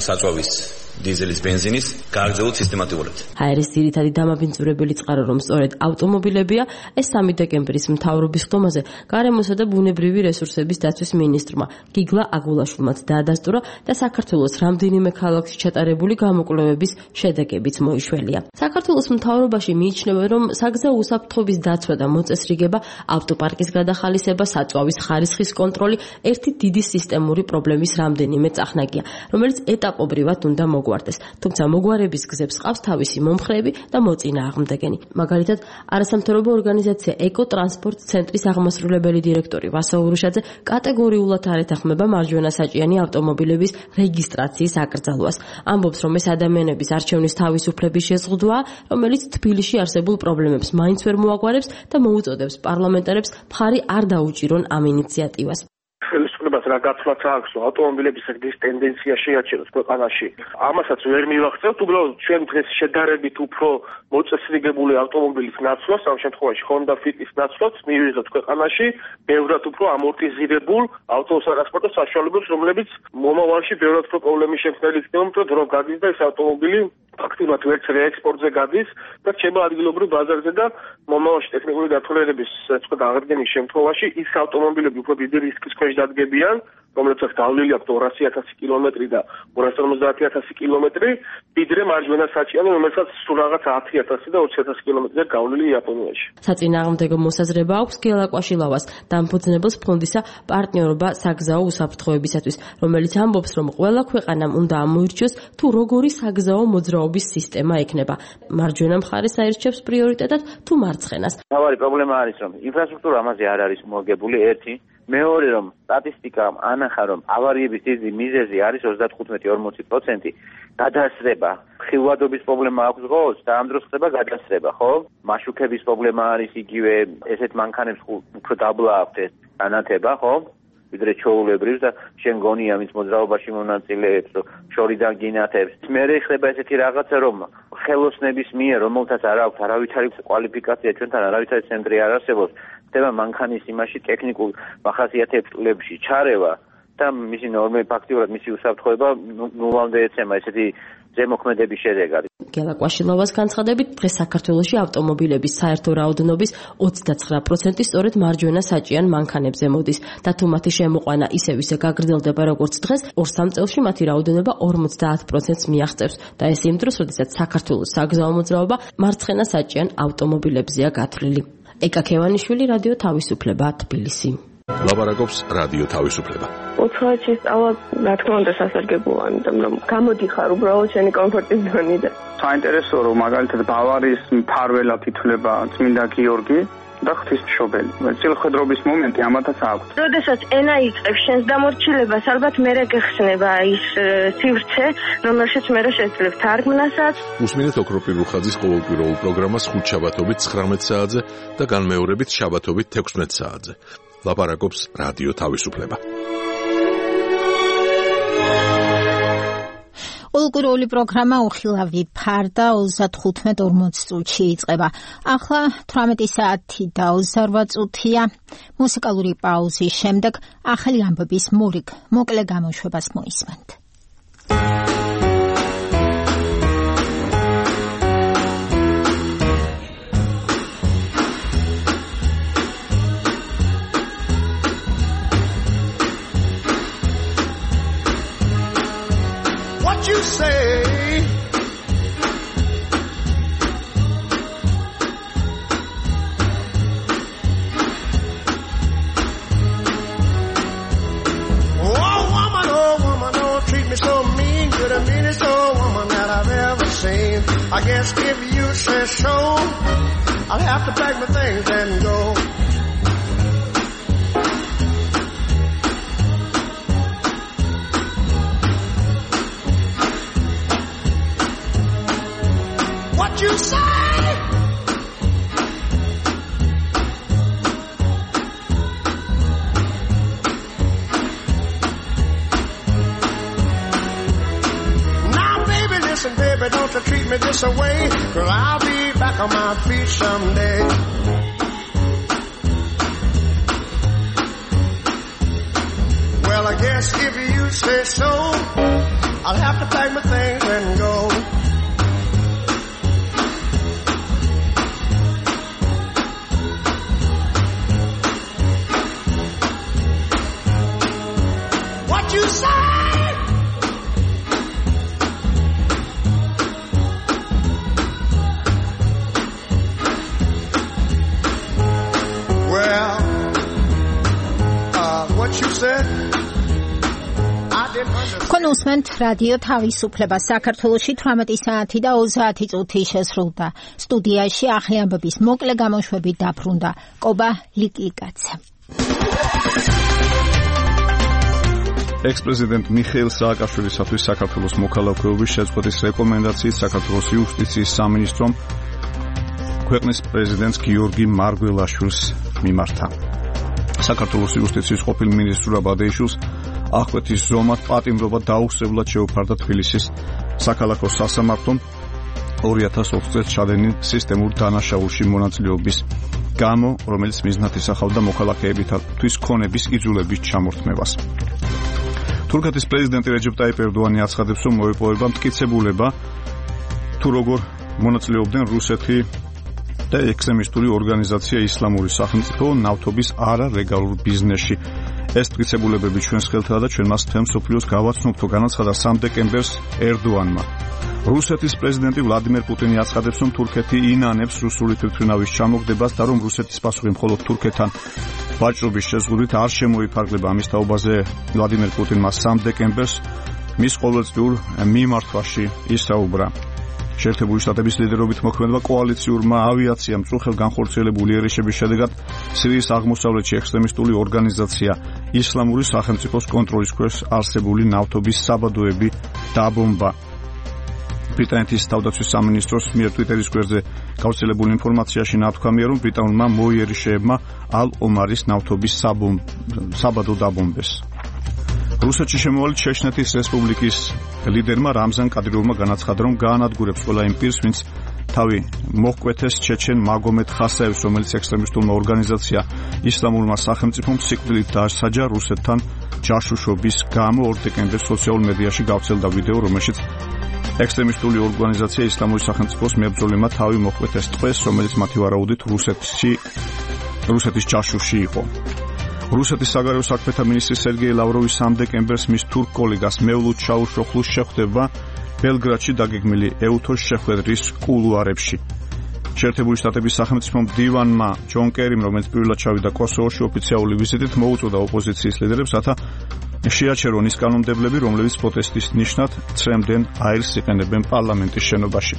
საწვავის დიზელის ბენზინის გააგრძელოთ სისტემატურად. აერის ძირითადი დამაბინძურებელი წყარო, რომ სწორედ ავტომობილებია, ეს 3 დეკემბრის მთავრობის ხდომაზე გარემოსა და ბუნებრივი რესურსების დაცვის მინისტრმა გიგლა აგულაშვილმაც დაადასტურა და საქართველოს რამდენიმე ქალაქში ჩატარებული გამოკვლევების შედეგებიც მოიშველია. საქართველოს მთავრობაში მიიჩნევენ, რომ საგზაო უსაფრთხოების დაცვა და მოწესრიგება, ავტოპარკის გადახალისება, საწვავის ხარისხის კონტროლი ერთი დიდი სისტემური პრობლემის რამდენიმე წახნაგია, რომელიც ეტაპობრივად უნდა მოგვარდეს. თუმცა მოგვარების გზებს ყავს თავისი მომხრეები და მოწინააღმდეგენი. მაგალითად, არასამთავრობო ორგანიზაცია ეკოტრანსპორტ ცენტრის აღმასრულებელი დირექტორი ვასო ურუშაძე კატეგორიულად არ ეთანხმება მარჯვენასაჭიანი ავტომობილების რეგისტრაციის აკრძალვას. ამბობს, რომ ეს ადამიანების არჩევნის თავისუფლების შეზღუდვაა, რომელიც თბილისში არსებულ პრობლემებს მაინც ვერ მოაგვარებს და მოუწოდებს პარლამენტარებს მხარი არ დაუჭირონ ამ ინიციატივას. ხელისუფლებას რა გაცვლაც აქვს, ავტომობილების ეს ტენდენცია შეაჩეროს ქვეყანაში. ამასაც ვერ მივახცევთ, უბრალოდ ჩვენ დღეს შედარებით უფრო მოწესრიგებული ავტომობილის ნაცვლას, ამ შემთხვევაში Honda Fit-ის ნაცვლას მივიღებთ ქვეყანაში, ბევრად უფრო ამორტიზირებულ ავტოტრანსპორტ საშუალებებს, რომლებიც მომავალში ბევრად უფრო პრობლემის შემქმნელი იქნება, რომ დრო გადის და ეს ავტომობილი ფაქტობრივად ვერც რეექსპორტზე გადის და რჩება ადგილობრივ ბაზარზე და მომავალში ტექნიკური დათვალიერების აღდგენის შემთხვევაში ის ავტომობილები უფრო დიდი რისკის ქვეშ დადგებიან, რომელსაც გავლილი აქვს 200,000 კილომეტრი და 250,000 კილომეტრი, ვიდრე მარჯვენასაჭიანი, რომელსაც სულ რაღაც 10,000 და 20,000 კილომეტრზე გავლილი იაპონიაში. საწინააღმდეგო მოსაზრება აქვს გელა კვაშილავას, დამფუძნებელს ფონდისა პარტნიორობა საგზაო უსაფრთხოებისათვის, რომელიც ამბობს, რომ ყველა ქვეყანამ უნდა ამოირჩიოს თუ როგორი საგზაო მოძრაობის სისტემა ექნება. მარჯვენა მხარეს აირჩევს პრიორიტეტად თუ მარცხენას. მთავარი პრობლემა არის, რომ ინფრასტრუქტურა ამაზე არ არის მოგებული, ერთი. მეორე, რომ სტატისტიკამ ანახა, რომ ავარიების დიდი მიზეზი არის 35-40% გადასრება. ხილვადობის პრობლემა აქვს ღოს და ამ დროს ხდება გადასრება, ხო? მაშუქების პრობლემა არის იგივე, ესეთ მანქანებს უფრო დაბლა აქვთ ეს განათება, ხო? ვიდრე ჩოულებრივს და შენ გონია მის მოძრაობაში მონაწილეებს, შორიდან გინათებს. მერე ხდება ესეთი რაღაცა, რომ ხელოსნების მიერ, რომელთაც არ აქვს არავითარი კვალიფიკაცია, ჩვენთან არავითარი ცენტრი არ არსებობს, ხდება მანქანის იმაში ტექნიკურ მახასიათებლებში ჩარევა და მისი ნორმები ფაქტიურად მისი უსაფრთხოება ნულამდე ეცემა ესეთი ზემოქმედების შედეგად. გელა კვაშილავას განცხადებით, დღეს საქართველოში ავტომობილების საერთო რაოდენობის 29% სწორედ მარჯვენა საჭიან მანქანებზე მოდის და თუ მათი შემოყვანა ისევ ისე გაგრძელდება როგორც დღეს, 2-3 წელში მათი რაოდენობა 50%-ს მიაღწევს და ეს იმ დროს, როდესაც საქართველოს საგზაო მოძრაობა მარცხენა საჭიან ავტომობილებზეა გათვლილი. ეკა ქევანიშვილი, რადიო თავისუფლება, თბილისი. ლაპარაკობს რადიო თავისუფლება. უცხოეთში სწავლა, რა თქმა უნდა, სასარგებლოა, იმიტომ რომ გამოდიხარ უბრალოდ შენი კომფორტის ზონიდან. საინტერესოა, რომ მაგალითად ბავარიის მფარველად ითვლება წმინდა გიორგი და ღვთისმშობელი. წილხედრობის მომენტი ამათაც აქვს. როდესაც ენა იწყებს შენს დამორჩილებას, ალბათ მერე გეხსნება ის სივრცე, რომელშიც მერე შეძლებ თარგმნასაც. უსმინეთ ოქროპირ რუხაძის ყოველკვირეულ პროგრამას ხუთშაბათობით 19 საათზე და განმეორებით შაბათობით 16 საათზე. ლაპარაკობს რადიო თავისუფლება. ყოველკვირეული პროგრამა უხილავი ფარდა 35-40 წუთში იწყება. ახლა 18 საათი და 28 წუთია. მუსიკალური პაუზის შემდეგ ახალი ამბების მოკლე გამოშვებას მოისმენთ. You say oh woman, don't treat me so mean. You're the meanest old woman that I've ever seen. I guess if you say so, I'll have to pack my things and go. What you say? Now, baby, listen, baby, don't you treat me this way, 'cause I'll be back on my feet someday. Well, I guess if you say so, I'll have to pack my things and go. You say თქვენ უსმენთ რადიო თავისუფლება. საქართველოში 18 საათი და 30 წუთი შესრულდა. სტუდიაში ახალი ამბების მოკლე გამოშვებით დაბრუნდა კობა ლიკლიკაძე. ექს-პრეზიდენტ მიხეილ სააკაშვილისათვის საქართველოს მოქალაქეობის შეწყვეტის რეკომენდაციით საქართველოს იუსტიციის სამინისტრომ ქვეყნის პრეზიდენტს გიორგი მარგველაშვილს მიმართა. საქართველოს იუსტიციის ყოფილ მინისტრ აბადეიშვილს აღკვეთის ზომად პატიმრობა დაუსწრებლად შეუფარდა თბილისის საქალაქო სასამართლომ 2020 წელს ჩადენილ სისტემურ დანაშაულში მონაწილეობის გამო, რომელიც მიზნად ისახავდა მოქალაქეებისთვის ქონების იძულების ჩამორთმევას. თურქეთის პრეზიდენტი რეჯეპ ტაიპ ერდოანი აცხადებს, რომ მოეპოვება მტკიცებულება თუ როგორ მონაწილეობდნენ რუსეთი და ექსტრემისტული ორგანიზაცია ისლამური სახელმწიფო ნავთობის არალეგალურ ბიზნესში. ეს მტკიცებულებები ჩვენს ხელთაა და ჩვენ მას მთელ მსოფლიოს გავაცნობთ, განაცხადა 3 დეკემბერს ერდოანმა. რუსეთის პრეზიდენტი ვლადიმერ პუტინი აცხადებს, რომ თურქეთი ინანებს რუსული თვითმფრინავის ჩამოგდებას და რომ რუსეთის პასუხი მხოლოდ თურქეთთან ვაჭრობის შეზღუდვით არ შემოიფარგლება. ამის თაობაზე ვლადიმერ პუტინმა 3 დეკემბერს მის ყოველწლიურ მიმართვაში ისაუბრა. შეერთებული შტატების ლიდერობით მოქმედება კოალიციურმა ავიაციამ წუხელ განხორციელებული იერიშების შედეგად სირიის აღმოსავლეთში ექსტრემისტული ორგანიზაცია ისლამური სახელმწიფოს კონტროლის ქვეშ არსებული ნავთობის საბადოები დაბომბა. ბრიტანეთის თავდაცვის სამინისტროს მიერ ტვიტერის გვერდზე გავრცელებული ინფორმაციაში ნათქვამია, რომ ბრიტანულმა მოიერიშეებმა ალ-ომარის ნავთობის საბადო დაბომბეს. რუსეთში შემოვალ ჩეჩნეთის რესპუბლიკის ლიდერმა რამზან კადიროვმა განაცხადა, რომ გაანადგურებს ყველა იმ პირს, ვინც თავი მოჰკვეთეს ჩეჩენ მაგომედ ხასაევს, რომელიც ექსტრემისტულმა ორგანიზაცია ისლამურმა სახელმწიფომ სიკვდილით დასაჯა რუსეთთან ჯაშუშობის გამო. 2 დეკემბერს სოციალურ მედიაში გავრცელდა ვიდეო, რომელშიც ექსტრემისტული ორგანიზაცია ისლამური სახელმწიფოს მებრძოლმა თავი მოჰკვეთეს ტყვეს, რომელიც მათი ვარაუდით რუსეთის ჯაშუში იყო. რუსეთის საგარეო საქმეთა მინისტრი სერგეი ლავროვი 3 დეკემბერს მის თურქ კოლეგას მევლუდ ჩაუშოხლუს შეხვდება ბელგრადში დაგეგმილი ეუთოს შეხვედრის კულუარებში. შეერთებული შტატების სახელმწიფო მდივანმა ჯონ კერიმ, რომელიც პირველად ჩავიდა კოსოვოში ოფიციალური ვიზიტით, მოუწოდა ოპოზიციის ლიდერებს, რათა შეაჩერონ ის კანონმდებლები, რომლებიც პროტესტის ნიშნად ცრემდნენ აირს იყენებენ პარლამენტის შენობაში.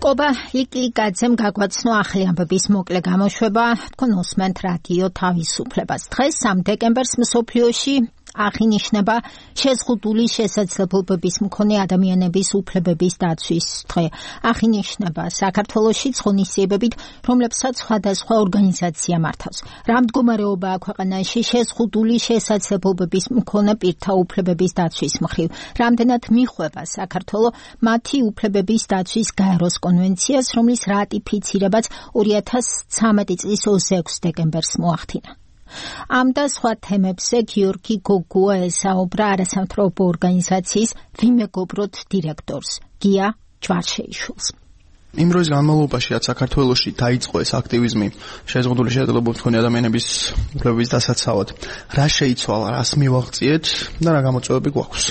კობა ლიკლიკაძემ გაგვაცნო ახალი ამბების მოკლე გამოშვება. თქვენ უსმენთ რადიო თავისუფლებას. დღეს 3 დეკემბერს მსოფლიოში აღინიშნება შეზღუდული შესაძლებლობების მქონე ადამიანების უფლებების დაცვის დღე. აღინიშნება საქართველოში ღონისძიებებით, რომლებსაც სხვადასხვა ორგანიზაცია მართავს. რა მდგომარეობაა ქვეყანაში შეზღუდული შესაძლებლობების მქონე პირთა უფლებების დაცვის მხრივ? რამდენად მიხვება საქართველო მათი უფლებების დაცვის გაეროს კონვენციას, რომლის რატიფიცირებაც 2013 წლის 26 დეკემბერს მოახდინა? ამ და სხვა თემებზე გიორგი გოგუა ესაუბრა არასამთავრობო ორგანიზაციის ვიმეგობროთ დირექტორს გია ჯვარშეიშვილს. იმ დროის განმავლობაში, რაც საქართველოში დაიწყო ეს აქტივიზმი შეზღუდული შესაძლებლობების მქონე ადამიანების უფლებების დასაცავად, რა შეიცვალა, რას მივაღწიეთ და რა გამოწვევები გვაქვს?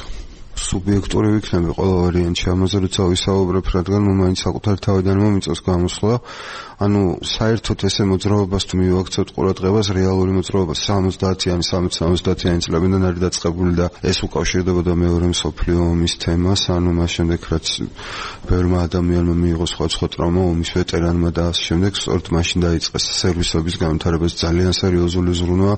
სუბიექტური ვიქნები ყველა ვარიანტში, ამაზე როცა ვისაუბრებ, რადგან მაინც საკუთარი თავიდან მომიწევს გამოსვლა. საერთოდ ესე მოძრაობას თუ მივაქცევთ ყურადღებას, რეალური მოძრაობა 70-იანი, 60-70-იანი წლებიდან არის დაწყებული და ეს უკავშირდებოდა მეორე მსოფლიო ომის თემას, მას შემდეგ რაც ბევრმა ადამიანმა მიიღო სხვა ტრავმა, ომის ვეტერანმა და ასე შემდეგ, სწორედ მაშინ დაიწყეს სერვისების განვითარებას ძალიან სერიოზული ზრუნვა,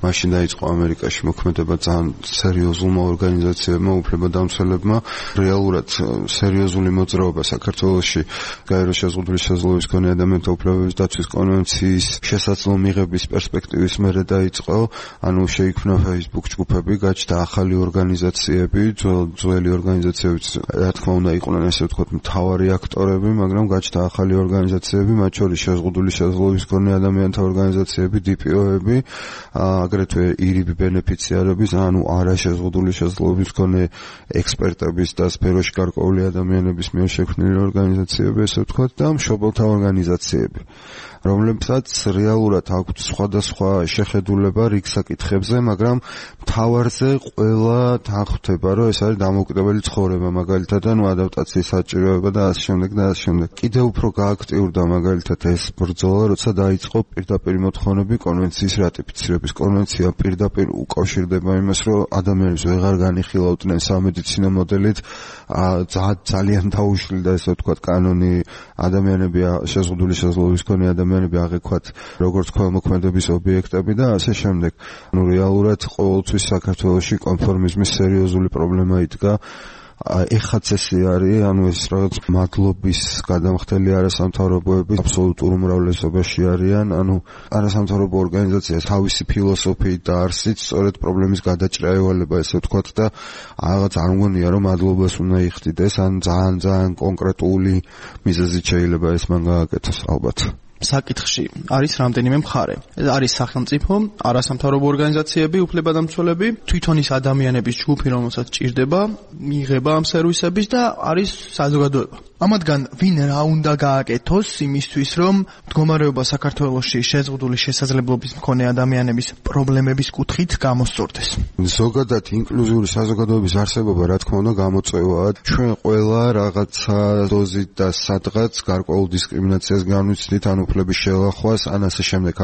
მაშინ დაიწყო ამერიკაში მოქმედება ძალიან სერიოზულმა ორგანიზაციებმა, უფლებადამცველებმა, რეალურად სერიოზული მოძრაობა საქართველოში გაეროს შეზღუდული შესაძლებლობის მქონე ადამიანთა უფლებების დაცვის კონვენციის შესაძლო მიღების პერსპექტივის მერე დაიწყო, შეიქმნა Facebook ჯგუფები, გაჩნდა ახალი ორგანიზაციები, ძველი ორგანიზაციებიც რა თქმა უნდა იყვნენ ესე ვთქვათ მთავარი აქტორები, მაგრამ გაჩნდა ახალი ორგანიზაციები, მათ შორის შეზღუდული შესაძლებლობის მქონე ადამიანთა ორგანიზაციები, DPO-ები, აგრეთვე ირიბ ბენეფიციარების, არა შეზღუდული შესაძლებლობის მქონე ექსპერტების და სფეროში გარკვეული ადამიანების მიერ შექმნილი ორგანიზაციები, ესე ვთქვათ, და მშობელთა ორგანიზაციები. რომლებსაც რეალურად აქვთ სხვადასხვა შეხედულება რიგ საკითხებზე, მაგრამ მთავარზე ყველა თანხმდება, რომ ეს არის დამოუკიდებელი ცხოვრება, მაგალითად, ადაპტაციის საჭიროება და ასე შემდეგ და ასე შემდეგ. კიდევ უფრო გააქტიურდა მაგალითად ეს ბრძოლა, როცა დაიწყო პირდაპირ მოთხოვნები კონვენციის რატიფიცირების. კონვენცია პირდაპირ უკავშირდება იმას, რომ ადამიანებს ვეღარ განიხილავდნენ სამედიცინო მოდელით, ძალიან დაუშლიდა ესე ვთქვათ კანონი, ადამიანები შეზღუდული შესაძლებლობის მქონე ადამიანები აღექვათ როგორც ქველმოქმედების ობიექტები და ასე შემდეგ. რეალურად ყოველთვის საქართველოში კონფორმიზმის სერიოზული პრობლემა იდგა. ეხაც ესე არის, ეს რაღაც მადლობის გადამხდელი არასამთავრობოების აბსოლუტურ უმრავლესობაში არიან, არასამთავრობო ორგანიზაციას თავისი ფილოსოფიით და არსით სწორედ პრობლემის გადაჭრა ევალება, ესე ვთქვათ და რაღაც არ მგონია რომ მადლობას უნდა იხდიდეს, ან ძალიან კონკრეტული მიზეზით შეიძლება ეს მან გააკეთოს ალბათ. საკითხში არის რამდენიმე მხარე. არის სახელმწიფო, არასამთავრობო ორგანიზაციები, უფლებადამცველები, თვითონ ის ადამიანების ჯგუფი, რომელსაც ჭირდება, მიიღება ამ სერვისების და არის საზოგადოება. ამათგან ვინ რა უნდა გააკეთოს იმისთვის, რომ მდგომარეობა საქართველოში შეზღუდული შესაძლებლობის მქონე ადამიანების პრობლემების კუთხით გამოსწორდეს. ზოგადად ინკლუზიური საზოგადოების არსებობა, რა თქმა უნდა, გამოწვევაა. ჩვენ ყველა რაღაცა დოზით და სადღაც გარკვეულ დისკრიმინაციას განვიცდით, უფლების შელახვას, ასე შემდეგ.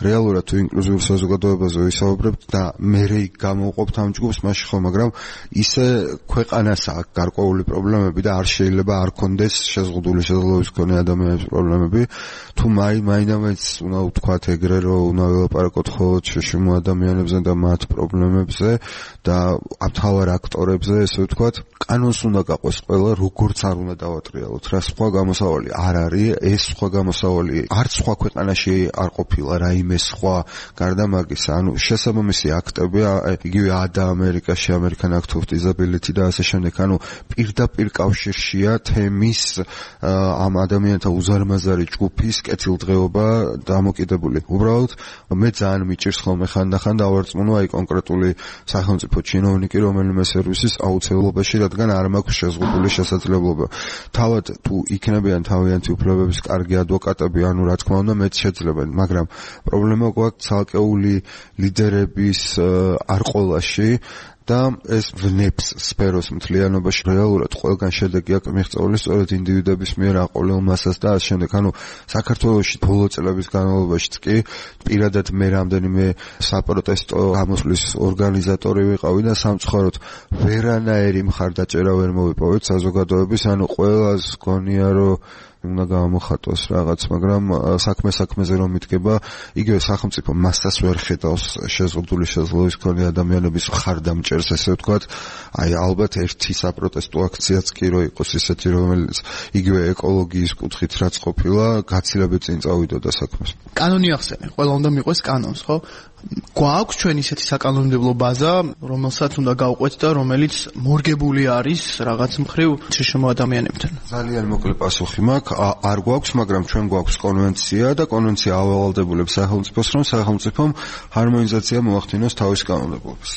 რეალურად თუ ინკლუზიურ საზოგადოებაზე ვისაუბრებთ და მე გამოვყოფთ ამ ჯგუფს მაშინ ხო, მაგრამ ისე ქვეყანას აქვს გარკვეული პრობლემები და არ შეიძლება არ კონდეს შეზღუდული შესაძლებლობის მქონე ადამიანების პრობლემები. თუ მაინც უნდა ვთქვათ ეგრე, რომ უნდა ველაპარაკოთ მხოლოდ შეშიმო ადამიანებზე და მათ პრობლემებზე და მთავარ აქტორებზე, ესე ვთქვათ, კანონს უნდა გაყვეს ყველა, როგორც არ უნდა დავატრიალოთ. რა სხვა გამოსავალი არ არის, ეს სხვა გამოსავალი არც სხვა ქვეყანაში არ ყოფილა რაიმე სხვა გარდა მაგისა. შესაბამისი აქტები, იგივე ამერიკაში, American Act of Disability და ასე შემდეგ, პირდაპირ კავშირშია თემის ამ ადამიანთა უზარმაზარი ჯგუფის კეთილდღეობა დამოკიდებული. უბრალოდ მე ძალიან მიჭირს ხოლმე ხანდახან დავარწმუნო კონკრეტული სახელმწიფო ჩინოვნიკი რომელიმე სერვისის აუცილებლობაში, რადგან არ მაქვს შეზღუდული შესაძლებლობა. თავად თუ იქნებიან თავიანთი უფლებების კარგი ადვოკატები, რა თქმა უნდა მეც შეძლებენ, მაგრამ პრობლემა გვაქვს ცალკეული ლიდერების არ ყოლაში და ეს ვნებს სფეროს მთლიანობაში. რეალურად ყველგან შედეგი აქვს მიღწეული სწორედ ინდივიდების მიერ აყოლილ მასას და ასე შემდეგ. საქართველოში ბოლო წლების განმავლობაში კი პირადად მე რამდენიმე საპროტესტო გამოსვლის ორგანიზატორი ვიყავი და სამწუხაროდ ვერანაირი მხარდაჭერა ვერ მოვიპოვეთ საზოგადოების, ყველას გონია რომ უნდა გამოხატოს რაღაც, მაგრამ საქმეზე რომ მიდგება, იგივე სახელმწიფო მასას ვერ ხედავს შეზღუდული შესაძლებლობის მქონე ადამიანების მხარდამჭერს, ესე ვთქვათ. ალბათ ერთი საპროტესტო აქციაც კი რო იყოს ისეთი, რომელიც იგივე ეკოლოგიის კუთხით რაც ყოფილა, გაცილებით წინ წავიდოდა საქმეს. კანონი ახსენე, ყველა უნდა მიყვეს კანონს, ხო? გვაქვს ჩვენ ისეთი საკანონმდებლო ბაზა, რომელსაც უნდა გავყვეთ და რომელიც მორგებული არის რაღაც მხრივ შეშმო ადამიანებთან. ძალიან მოკლე პასუხი მაქვს, არ გვაქვს, მაგრამ ჩვენ გვაქვს კონვენცია და კონვენცია ავალდებულებს სახელმწიფოს, რომ სახელმწიფომ ჰარმონიზაცია მოახდინოს თავის კანონმდებლობას.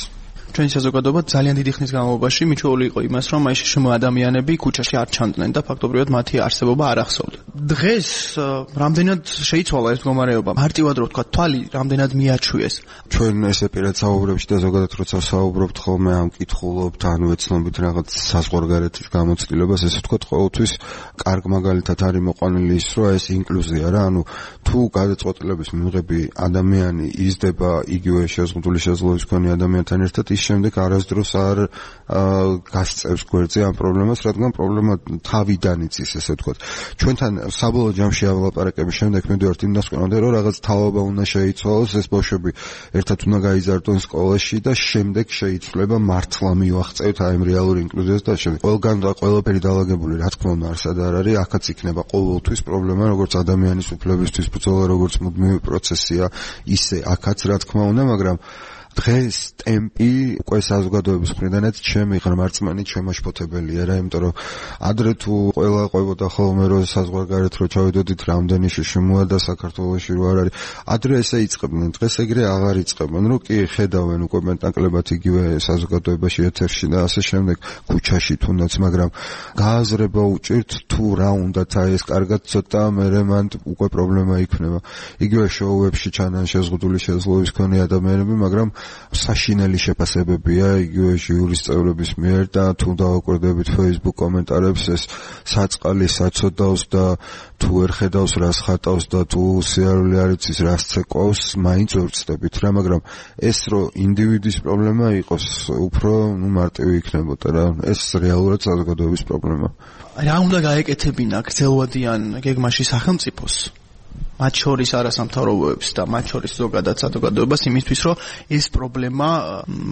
ჩვენი საზოგადოება ძალიან დიდი ხნის განმავლობაში მიჩვეული იყო იმას, რომ აი შეშმო ადამიანები ქუჩაში არ ჩანდნენ და ფაქტობრივად მათი არსებობა არ ახსოვდა. დღეს რამდენად შეიცვალა ეს მდგომარეობა? მარტივად რო ვთქვა, თვალი რამდენად მიაჩვიეს. ჩვენ ესე პირად საუბრებში და ზოგადად როცა საუბრობთ ხოლმე ამ კითხულობთ, ეცნობით რაღაც საზღვარგარეთის გამოცდილებას, ესე ვთქვათ, ყოველთვის კარგ მაგალითად არის მოყვანილი ის, რომ ეს ინკლუზია რა, თუ გადაწყვეტილების მიღები ადამიანი იზრდება იგივე შეზღუდული შესაძლებლობის მქონე ადამიანთან ერთად, შემდეგ არასდროს არ გასწევს გვერდზე ამ პრობლემას, რადგან პრობლემა თავიდან იცის, ესე ვთქვათ. ჩვენთან საბოლოო ჯამში ავალაპარაკების შემდეგ მივდივართ იმ დასკვნამდე, რომ რაღაც თავობა უნდა შეიცვალოს, ეს ბავშვები ერთად უნდა გაიზარდონ სკოლაში და შემდეგ შეიცვლება მართლა მივახწევთ აი ამ რეალურ ინკლუზიას და შემდეგ. ყველგან და ყველაფერი დაალაგებული, რა თქმა უნდა, არსად არ არის, აქაც იქნება ყოველთვის პრობლემა, როგორც ადამიანის უფლებისთვის ბრძოლა, როგორც მუდმივი პროცესია, ისე აქაც რა თქმა უნდა, მაგრამ დღეს ტემპი უკვე საზოგადოების მხრიდანაც ჩემი ღრმარწმენით შემაშფოთებელია რა, იმიტომ რომ ადრე თუ ყველა ყვებოდა ხოლმე რომ საზღვარგარეთ რო ჩავიდოდით რამდენი შემოადა საქართველოში რო არ არის, ადრე ესე იწყებდნენ, დღეს ეგრე აღარ იწყებენ, რომ კი ხედავენ უკვე მეტნაკლებად იგივე საზოგადოებაში ეთერში და ასე შემდეგ ქუჩაში თუნდაც, მაგრამ გააზრება უჭირთ თუ რა უნდათ აი ეს კარგად ცოტა მერე მან უკვე პრობლემა იქნება. იგივე შოუებში ჩანან შეზღუდული შესაძლებლობის მქონე ადამიანები, მაგრამ საშინელი შეფასებებია იგივე ჟიურის წევრების მიერ და თუ დავაკვირდებით Facebook კომენტარებს, ეს საწყალი საცოდავს და თუ ვერ ხედავს რას ხატავს და თუ სიარული არ იცის რას ცეკვავს, მაინც ვწდებით რა, მაგრამ ეს რო ინდივიდის პრობლემა იყოს, უფრო მარტივი იქნებოდა რა. ეს რეალურად საზოგადოების პრობლემა. რა უნდა გაეკეთებინა გრძელვადიან გეგმაში სახელმწიფოს, მათ შორის არასამთავრობოებს და მათ შორის ზოგადად საზოგადოებას იმისთვის, რომ ეს პრობლემა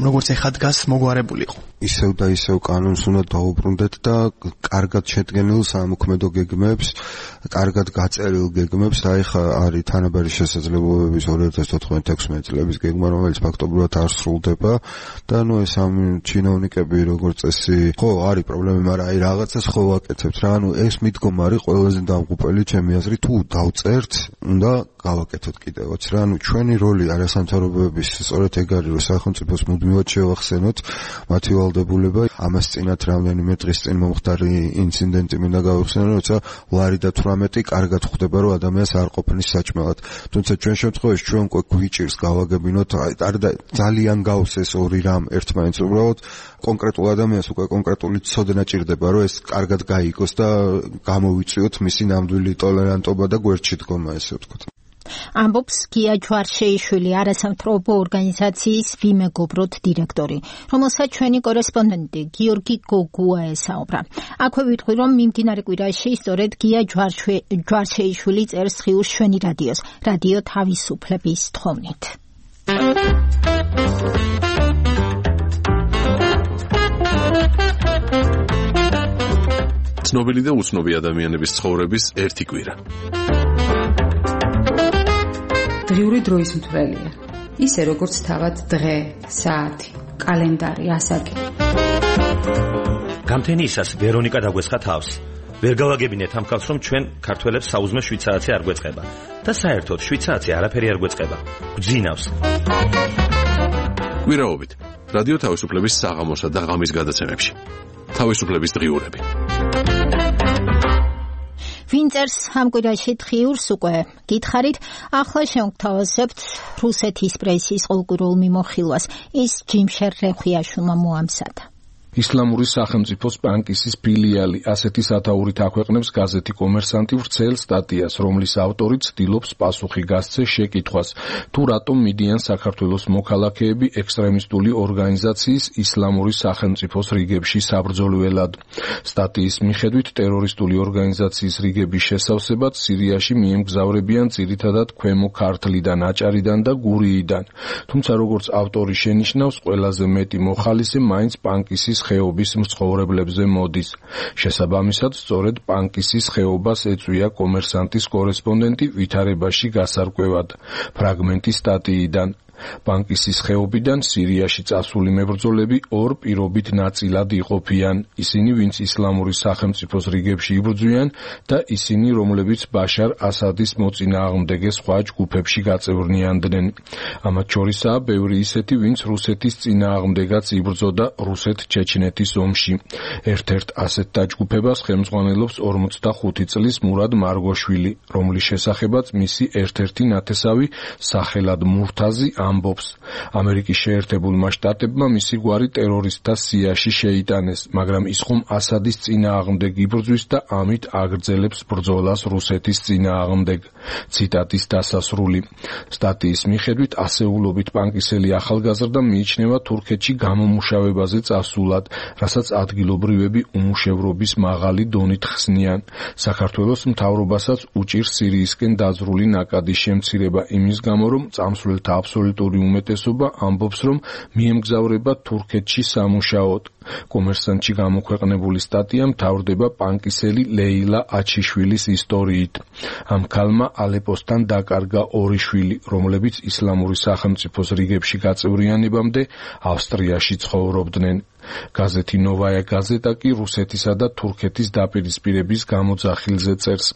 როგორც ეხა დგას მოგვარებულიყო. ისევ და ისევ კანონს უნდა დაუბრუნდეთ და კარგად შედგენილ სამოქმედო გეგმებს, კარგად გაწერილ გეგმებს, აი ხა არის თანაბარი შესაძლებლობების 2014-16 წლების გეგმა, რომელიც ფაქტობრივად არ სრულდება და ნუ ეს ამ ჩინოვნიკები როგორც წესი, ხო, არის პრობლემა, მაგრამ აი რაღაცას ხო ვაკეთებთ რა, ანუ ეს მიდგომა არის ყველაზე დამღუპელი ჩემი აზრით, თუ დავწერთ უნდა გავაკეთოთ კიდევაც რა, ანუ ჩვენი როლი არასამთავრობოების სწორედ ეგ არის, რომ სახელმწიფოს მუდმივად შევახსენოთ მათი ვალდებულება. ამას წინათ რამდენიმე დღის წინ მომხდარი ინციდენტი მინდა გავიხსენო, როცა ლარი და 18 კარგად ხვდება, რომ ადამიანს არ ყოფნის საჭმელად. თუმცა ჩვენ შემთხვევაში ჩვენ უკვე გვიჭირს გავაგებინოთ, და ძალიან გავს ეს ორი რამ ერთმანეთს, უბრალოდ კონკრეტულ ადამიანს უკვე კონკრეტული ცოდნა ჭირდება, რომ ეს კარგად გაიგოს და გამოვიწვიოთ მისი ნამდვილი ტოლერანტობა და გვერდში დგომა, ესე ვთქვათ. ამბობს გია ჯვარშეიშვილი, არასამთავრობო ორგანიზაციის ვიმეგობროთ დირექტორი, რომელსაც ჩვენი კორესპონდენტი გიორგი გოგუა ესაუბრა. აქვე ვიტყვი, რომ მიმდინარე კვირაში სწორედ გია ჯვარშეიშვილი წერს ხიურს ჩვენი რადიოს, რადიო თავისუფლების თხოვნით. ცნობილი და უცნობი ადამიანების ცხოვრების ერთი კვირა. დღიური დროის მთვრელია. ისე როგორც თავად დღე, საათი, კალენდარი, ასაკი. გამთენიისას ვერონიკა დაგვესხა თავს. ვერ გავაგებინეთ ამ ხალხს, რომ ჩვენ ქართველებს საუზმე შვიცარაცი არ გვეწყება და საერთოდ შვიცარაცი არაფერი არ გვეწყება. გვძინავს. კვირაობით რადიო თავისუფლების საღამოსა და ღამის გადაცემებში. თავისუფლების დღიურები. ვინ წერს ამ კვირაში ხიურს უკვე გითხარით, ახლა შევგთავაზებთ რუსეთის პრესის ყოველკვირეულ მიმოხილვას. ის ჯიმშერ რეხვიაშვილმა მოამზადა. ისლამური სახელმწიფოს პანკისის ფილიალი ასეთი სათაურით აქვეყნებს გაზეთი კომერსანტი ვრცელ სტატიას, რომლის ავტორი ცდილობს პასუხი გასცეს შეკითხვას, თუ რატომ მიდიან საქართველოს მოქალაქეები ექსტრემისტული ორგანიზაციის ისლამური სახელმწიფოს რიგებში საბრძოლველად. სტატიის მიხედვით ტერორისტული ორგანიზაციის რიგების შესავსებად სირიაში მიემგზავრებიან ძირითადად ქვემო ქართლიდან, აჭარიდან და გურიიდან. თუმცა როგორც ავტორი შენიშნავს, ყველაზე მეტი მოხალისე მაინც პანკისის ხეობის მცხოვრებლებზე მოდის. შესაბამისად, სწორედ პანკისის ხეობას ეწვია კომერსანტის კორესპონდენტი ვითარებაში გასარკვევად. ფრაგმენტი სტატიიდან. პანკისის ხეობიდან სირიაში წასული მებრძოლები ორ პირობით ნაწილად იყოფიან. ისინი, ვინც ისლამური სახელმწიფოს რიგებში იბრძვიან და ისინი, რომლებიც ბაშარ ასადის მოწინააღმდეგე სხვა ჯგუფებში გაწევრნიანდნენ. ამათ შორისაა ბევრი ისეთი, ვინც რუსეთის წინააღმდეგაც იბრძოდა რუსეთ-ჩეჩნეთის ომში. ერთ-ერთ ასეთ დაჯგუფებას ხელმძღვანელობს 45 წლის მურად მარგოშვილი, რომლის შესახებაც მისი ერთ-ერთი ნათესავი სახელად მურთაზი ამბობს. ამერიკის შეერთებულმა შტატებმა მისი გვარი ტერორისტთა სიაში შეიტანეს, მაგრამ ის ხომ ასადის წინააღმდეგ იბრძვის და ამით აგრძელებს ბრძოლას რუსეთის წინააღმდეგ. ციტატის დასასრული. სტატიის მიხედვით ასეულობით პანკისელი ახალგაზრდა მიიჩნევა თურქეთში გამომუშავებაზე წასულად, რასაც ადგილობრივები უმუშევრობის მაღალი დონით ხსნიან. საქართველოს მთავრობასაც უჭირს სირიისკენ დაძრული ნაკადის შემცირება იმის გამო, რომ წამსვლელთა აბსოლუტური სტუდენტური უმეტესობა ამბობს, რომ მიემგზავრება თურქეთში სამუშაოდ. კომერსანტში გამოქვეყნებული სტატია მთავრდება პანკისელი ლეილა აჩიშვილის ისტორიით. ამ ქალმა ალეპოსთან დაკარგა 2 შვილი, რომლებიც ისლამური სახელმწიფოს რიგებში გაწევრიანებამდე ავსტრიაში ცხოვრობდნენ. გაზეთი ნოვაია გაზეტა კი რუსეთისა და თურქეთის დაპირისპირების გამოძახილზე წერს.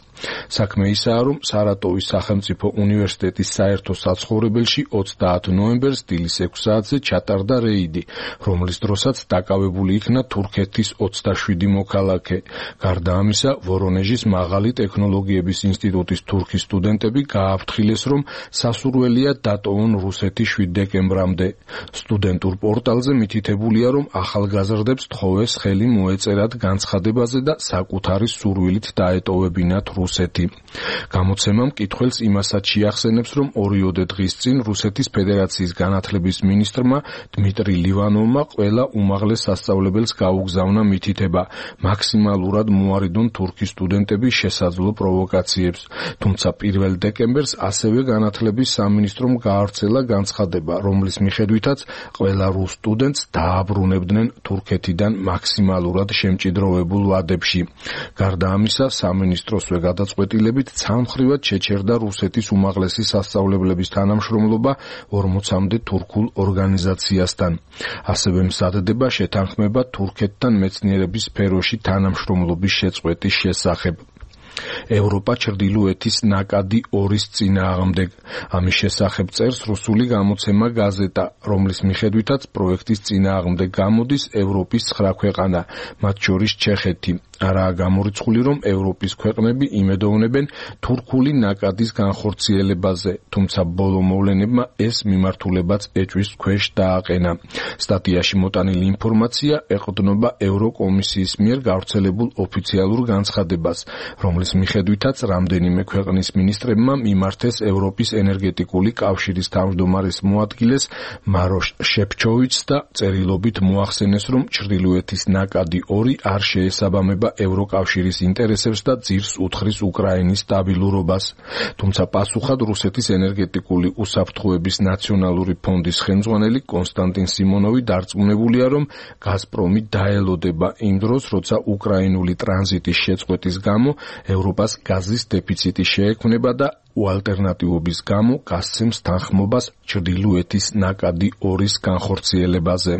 საქმე ისაა, რომ სარატოვის სახელმწიფო უნივერსიტეტის საერთო საცხოვრებელში 30 ნოემბერს დილის 6 საათზე ჩატარდა რეიდი, რომლის დროსაც დაკავებული იქნა თურქეთის 27 მოქალაქე. გარდა ამისა, ვორონეჟის მაღალი ტექნოლოგიების ინსტიტუტის თურქი სტუდენტები გააფრთხილეს, რომ სასურველია დატოვონ რუსეთი 7 დეკემბრამდე. სტუდენტურ პორტალზე მითითებულია, რომ ახალგაზრდებს თხოვეს ხელი მოეწერათ განცხადებაზე და საკუთარი სურვილით დაეტოვებინათ რუსეთი. გამოცემა მკითხველს იმასაც შეახსენებს, რომ 2 დღის წინ რუსეთის ფედერაციის განათლების მინისტრმა დმიტრი ლივანოვმა ყველა უმაღლეს სასწავლებელს გაუგზავნა მითითება, მაქსიმალურად მოარიდონ თურქი სტუდენტების შესაძლო პროვოკაციებს. თუმცა 1 დეკემბერს ასევე განათლების სამინისტრომ გაავრცელა განცხადება, რომლის მიხედვითაც ყველა რუს სტუდენტს დააბრუნებდნენ თურქეთიდან მაქსიმალურად შემჭიდროვებულ ვადებში. გარდა ამისა, სამინისტროსვე გადაწყვეტილებით ცალმხრივად შეჩერდა რუსეთის უმაღლესი სასწავლებლების თანამშრომლობა 40-მდე თურქულ ორგანიზაციასთან. ასევე მზადდება შეთანხმება თურქეთთან მეცნიერების სფეროში თანამშრომლობის შეწყვეტის შესახებ. ევროპა ჩრდილოეთის ნაკადი 2-ის წინააღმდეგ. ამის შესახებ წერს რუსული გამოცემა გაზეტა, რომლის მიხედვითაც პროექტის წინააღმდეგ გამოდის ევროპის 9 ქვეყანა, მათ შორის ჩეხეთი. არაა გამორიცხული, რომ ევროპის ქვეყნები იმედოვნებენ თურქული ნაკადის განხორციელებაზე, თუმცა ბოლო მოვლენებმა ეს მიმართულებაც ეჭვის ქვეშ დააყენა. სტატიაში მოტანილი ინფორმაცია ეყრდნობა ევროკომისიის მიერ გავრცელებულ ოფიციალურ განცხადებას, რომლის მიხედვითაც რამდენიმე ქვეყნის მინისტრებმა მიმართეს ევროპის ენერგეტიკული კავშირის თავმჯდომარის მოადგილეს მაროშ შეფჩოვიჩს და წერილობით მოახსენეს, რომ ჩრდილოეთის ნაკადი 2 არ შეესაბამება ევროკავშირის ინტერესებს და ძირს უთხრის უკრაინის სტაბილურობას. თუმცა პასუხად რუსეთის ენერგეტიკული უსაფრთხოების ნაციონალური ფონდის ხელმძღვანელი კონსტანტინ სიმონოვი დარწმუნებულია, რომ გაზპრომი დაელოდება იმ დროს, როცა უკრაინული ტრანზიტის შეწყვეტის გამო ევროპას გაზის დეფიციტი შეექმნება და უალტერნატივობის გამო გასცემს თანხმობას ჩრდილოეთის ნაკადი 2-ის განხორციელებაზე.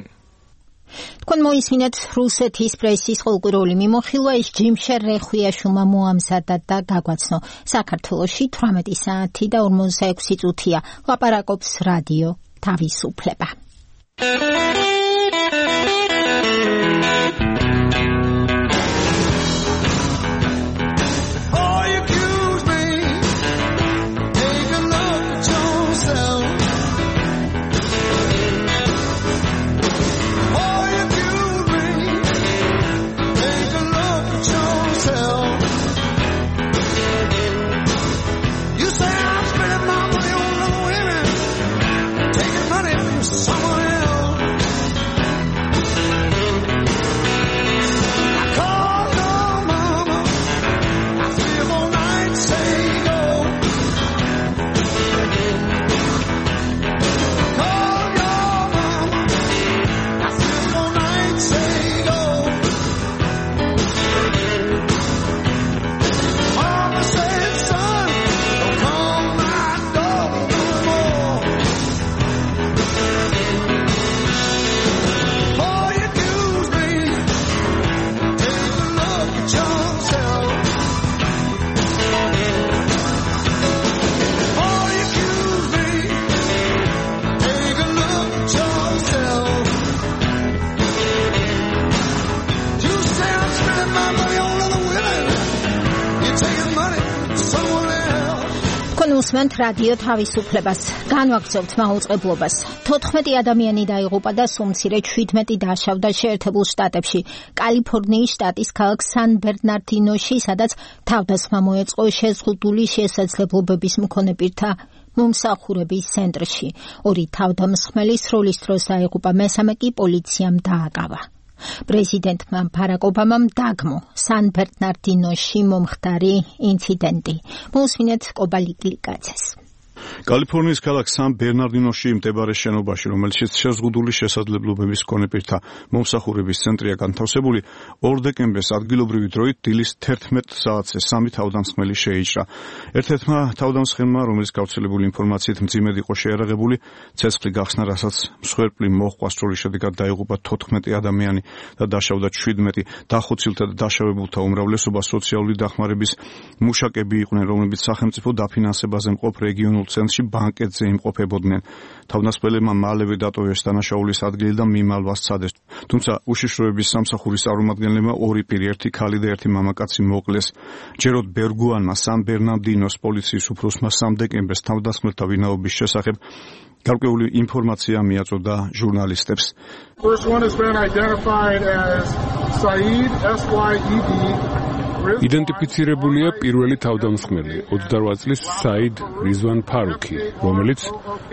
თქვენ მოისმინეთ რუსეთის პრესის ყოველკვირეული მიმოხილვა, ის ჯიმშერ რეხვიაშვილმა მოამზადა და გაგვაცნო. საქართველოში 18 საათი და 46 წუთია. ლაპარაკობს რადიო თავისუფლება. უსმენთ რადიო თავისუფლებას. განვაგრძობთ მაუწყებლობას. 14 ადამიანი დაიღუპა და სულ 17 დაშავდა შეერთებულ შტატებში, კალიფორნიის შტატის ქალაქ სან-ბერნარდინოში, სადაც თავდასხმა მოეწყო შეზღუდული შესაძლებლობების მქონე პირთა მომსახურების ცენტრში. 2 თავდამსხმელი სროლის დროს დაიღუპა, მესამე კი პოლიციამ დააკავა. პრეზიდენტმა ბარაკ ობამამ დაგმო სან-ბერნარდინოში მომხდარი ინციდენტი. მოусმინეთ კობალიკლიკაცეს. კალიფორნიის ქალაქ სან-ბერნარდინოში მდებარე შენობაში, რომელშიც შეზღუდული შესაძლებლობების მქონე პირთა მომსახურების ცენტრია განთავსებული, 2 დეკემბერს ადგილობრივი დროით დილის 11 საათზე 3 თავდამსხმელი შეიჭრა. ერთ-ერთმა თავდამსხმელმა, რომელიც გავრცელებული ინფორმაციით მძიმედ იყო შეიარაღებული, ცეცხლი გახსნა, რასაც მსხვერპლი მოჰყვა, სრული შედეგად დაიღუპა 14 ადამიანი და დაშავდა 17. დახოცილთა და დაშავებულთა უმრავლესობა სოციალური დახმარების მუშაკები იყვნენ, რომლებიც სახელმწიფო დაფინანსებაზე მყოფ რეგიონულ ცენტრში ბანკეტზე იმყოფებოდნენ. თავდამსხმელებმა მალევე დატოვეს დანაშაულის ადგილი და მიმალვა სცადეს. თუმცა უშიშროების სამსახურის წარმომადგენლებმა 2 პირი, ერთი ქალი და ერთი მამაკაცი მოკლეს. ჯეროდ ბერგუანმა სან-ბერნარდინოს პოლიციის უფროსმა 3 დეკემბერს თავდამსხმელთა ვინაობის შესახებ გარკვეული ინფორმაცია მიაწოდა ჟურნალისტებს. იდენტიფიცირებულია პირველი თავდამსხმელი 28 წლის საიდ რიзвან ფარუქი, რომელიც,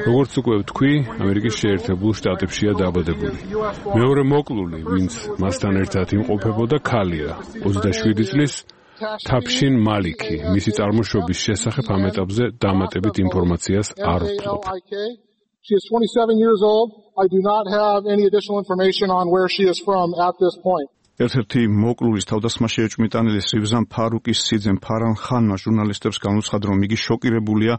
როგორც უკვე ვთქვი, ამერიკის შეერთებულ შტატებშია დაბადებული. მეორე მოკლული, ვინც მასთან ერთად იმყოფებოდა, ქალია, 27 წლის თაფშინ მალიქი. მისი წარმოშობის შესახებ ამ ეტაპზე დამატებით ინფორმაციას არ ვფლობ. She is 27 years old. I do not have any additional information on where she is from at this point. ერთ-ერთი მოკლულის თავდასხმაში ეჭვმიტანილი რივზან ფარუკის სიძემ ფარან ხანმა ჟურნალისტებს განუცხადა, რომ იგი შოკირებულია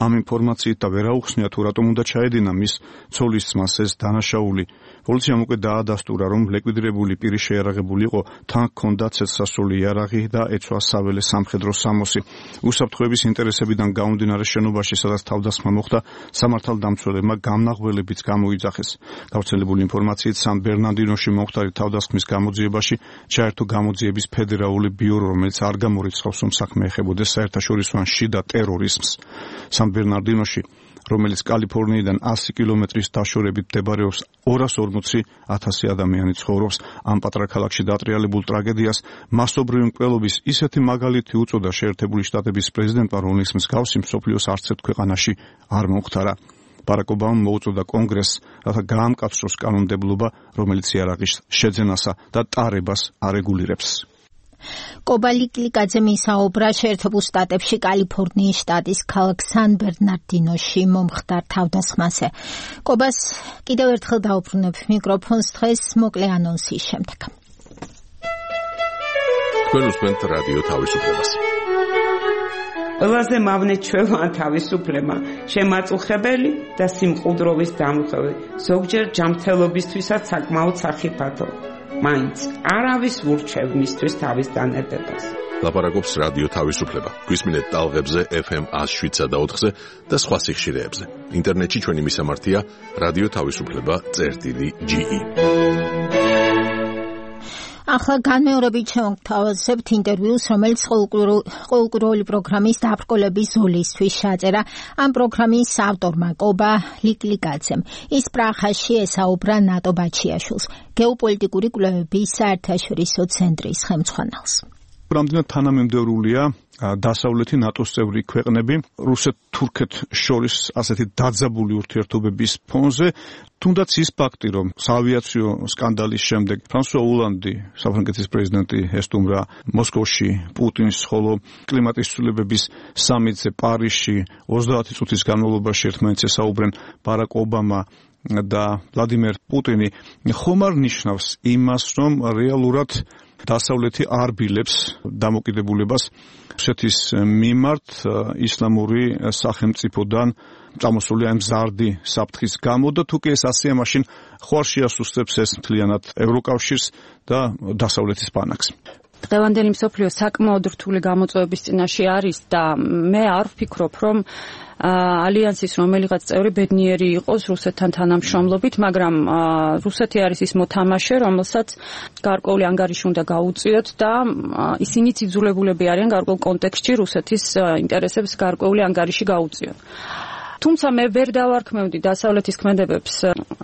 ამ ინფორმაციით და ვერ აუხსნია თუ რატომ უნდა ჩაედინა მის ცოლის ძმას ეს დანაშაული. პოლიციამ უკვე დაადასტურა, რომ ლიკვიდირებული პირი შეიარაღებული იყო, თან ჰქონდა ცეცხლსასროლი იარაღი და ეცვა საველე სამხედრო სამოსი. უსაფრთხოების ინტერესებიდან გამომდინარე შენობაში, სადაც თავდასხმა მოხდა, სამართალდამცველებმა გამნაღველებიც გამოიძახეს. გავრცელებული ინფორმაციით სან-ბერნარდინოში მომხდარი თავდასხმის გამოძიებაში ჩაერთო გამოძიების ფედერალური ბიურო, რომელიც არ გამორიცხავს, რომ საქმე ეხებოდეს საერთაშორისო ან შიდა ტერორიზმს. სან-ბერნარდინოში, რომელიც კალიფორნიიდან 100 კილომეტრის დაშორებით მდებარეობს, 240,000 ადამიანი ცხოვრობს. ამ პატარა ქალაქში დატრიალებულ ტრაგედიას მასობრივი მკვლელობის ისეთი მაგალითი უწოდა შეერთებული შტატების პრეზიდენტმა, რომლის მსგავსი მსოფლიოს არც ერთ ქვეყანაში არ მომხდარა. ბარაკ ობამამ მოუწოდა კონგრესს, რათა გაამკაცროს კანონმდებლობა, რომელიც იარაღის შეძენასა და ტარებას არეგულირებს. კობა ლიკლიკაძე მისაუბრა შეერთებულ შტატებში კალიფორნიის შტატის ქალაქ სან-ბერნარდინოში მომხდარ თავდასხმაზე. კობას კიდევ ერთხელ დაუბრუნებ მიკროფონს დღეს მოკლე ანონსის შემდეგ. თქვენ უსმენთ რადიო თავისუფლებას. ყველაზე მავნეჩვევა თავისუფლება, შემაწუხებელი და სიმყუდროვის დამხევი, ზოგჯერ ჯანმრთელობისთვისაც საკმაოდ სახიფათო. მაინც არავის ურჩევ მისთვის თავის დანებებას. ლაპარაკობს რადიო თავისუფლება. გვისმინეთ ტალღებზე FM 107.4-ზე და სხვა სიხშირეებზე. ინტერნეტში ჩვენი მისამართია radioთავისუფლება.ge. ახლა განმეორებით შევთავაზებთ ინტერვიუს, რომელიც ყოველკვირეული პროგრამის დაბრკოლების ზოლისთვის ჩაწერა ამ პროგრამის ავტორმა კობა ლიკლიკაძემ. ის პრაღაში ესაუბრა ნატო ბაჩიაშვილს, გეოპოლიტიკური კვლევების საერთაშორისო ცენტრის ხელმძღვანელს. რამდენად თანამემდევრულია დასავლეთი ნატოს წევრი ქვეყნები რუსეთ-თურქეთ შორის ასეთი დაძაბული ურთიერთობების ფონზე, თუნდაც ის ფაქტი, რომ საავიაციო სკანდალის შემდეგ ფრანსუა ოლანდი, საფრანგეთის პრეზიდენტი, ესტუმრა მოსკოვში პუტინს, ხოლო კლიმატის ცვლილებების სამიტზე პარიზში 30 წუთის განმავლობაში ერთმანეთს ესაუბრენ ბარაკ ობამა და ვლადიმერ პუტინი, ხომ არ ნიშნავს იმას, რომ რეალურად დასავლეთი არ ბილებს დამოკიდებულებას რუსეთის მიმართ ისლამური სახელმწიფოდან წამოსული ამ მზარდი საფრთხის გამო და თუ კი ეს ასეა, მაშინ ხო არ შეასუსტებს ეს მთლიანად ევროკავშირს და დასავლეთის ბანაკს. დღევანდელი მსოფლიო საკმაოდ რთული გამოწვევების წინაშე არის და მე არ ვფიქრობ, რომ ალიანსის რომელიღაც წევრი ბედნიერი იყოს რუსეთთან თანამშრომლობით, მაგრამ რუსეთი არის ის მოთამაშე, რომელსაც გარკვეული ანგარიში უნდა გაუწიოთ და ისინიც იძულებულები არიან გარკვეულ კონტექსტში რუსეთის ინტერესებს გარკვეული ანგარიში გაუწიოთ. თუმცა მე ვერ დავარქმევდი დასავლეთის ქმედებებს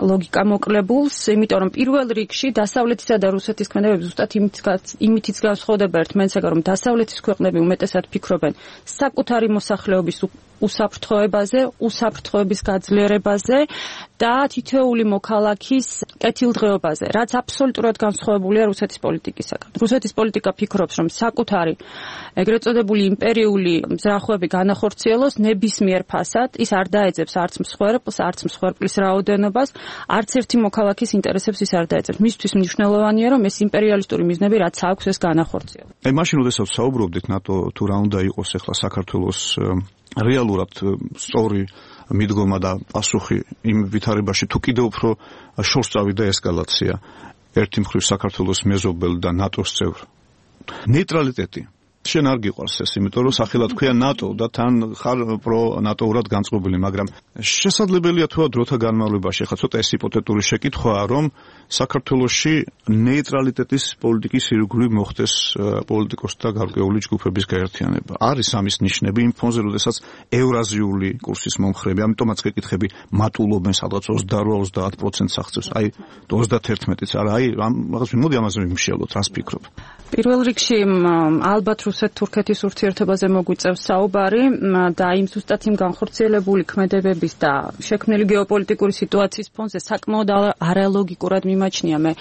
ლოგიკა მოკლებულს, იმიტომ რომ პირველ რიგში დასავლეთისა და რუსეთის ქმედებები ზუსტად იმითიც განსხვავდება ერთმანეთისაგან, რომ დასავლეთის ქვეყნები უმეტესად ფიქრობენ საკუთარი მოსახლეობის უსაფრთხოებაზე, უსაფრთხოების გაძლიერებაზე და თითოეული მოქალაქის კეთილდღეობაზე, რაც აბსოლუტურად განსხვავებულია რუსეთის პოლიტიკისაგან. რუსეთის პოლიტიკა ფიქრობს, რომ საკუთარი ეგრეთ წოდებული იმპერიული მზრახვები განახორციელოს ნებისმიერ ფასად, ის არ დაეძებს არც მსხვერპლს, არც მსხვერპლის რაოდენობას, არც ერთი მოქალაქის ინტერესებს ის არ დაეძებს. მისთვის მნიშვნელოვანია, რომ ეს იმპერიალისტური მიზნები რაც აქვს ეს განახორციელოს. აი მაშინ როდესაც საუბრობდით ნატო თუ რა უნდა იყოს ახლა საქართველოს რეალურად სწორი მიდგომა და პასუხი იმ ვითარებაში თუ კიდევ უფრო შორს წავიდა ესკალაცია ერთი მხრივ საქართველოს მეზობელ და ნატოს წევრ ნეიტრალიტეტი შენ არ გიყვარს ეს იმიტომ რომ სახელად ქვია ნატო და თან ხარ პრო ნატოურად განწყობილი მაგრამ შესაძლებელია თუ დროთა განმავლობაში ხა ცოტა ეს ჰიპოთეტური შეკითხვაა რომ საქართველოში ნეიტრალიტეტის პოლიტიკის ირგვლივ მოხდეს პოლიტიკოსთა გარკვეული ჯგუფების გაერთიანება არის ამის ნიშნები იმ ფონზე როდესაც ევრაზიული კურსის მომხრეები ამიტომაც გეკითხები მატულობენ სადღაც 28-30% აღწევს აი 31-იც არა აი რაღაც მოდი ამაზე ვიმშიალოთ რას ფიქრობ პირველ რიგში ალბათ რუსეთ-თურქეთის ურთიერთობაზე მოგვიწევს საუბარი და იმ ზუსტად იმ განხორციელებული ქმედებების და შექმნილი გეოპოლიტიკური სიტუაციის ფონზე საკმაოდ არალოგიკურად მიმაჩნია მე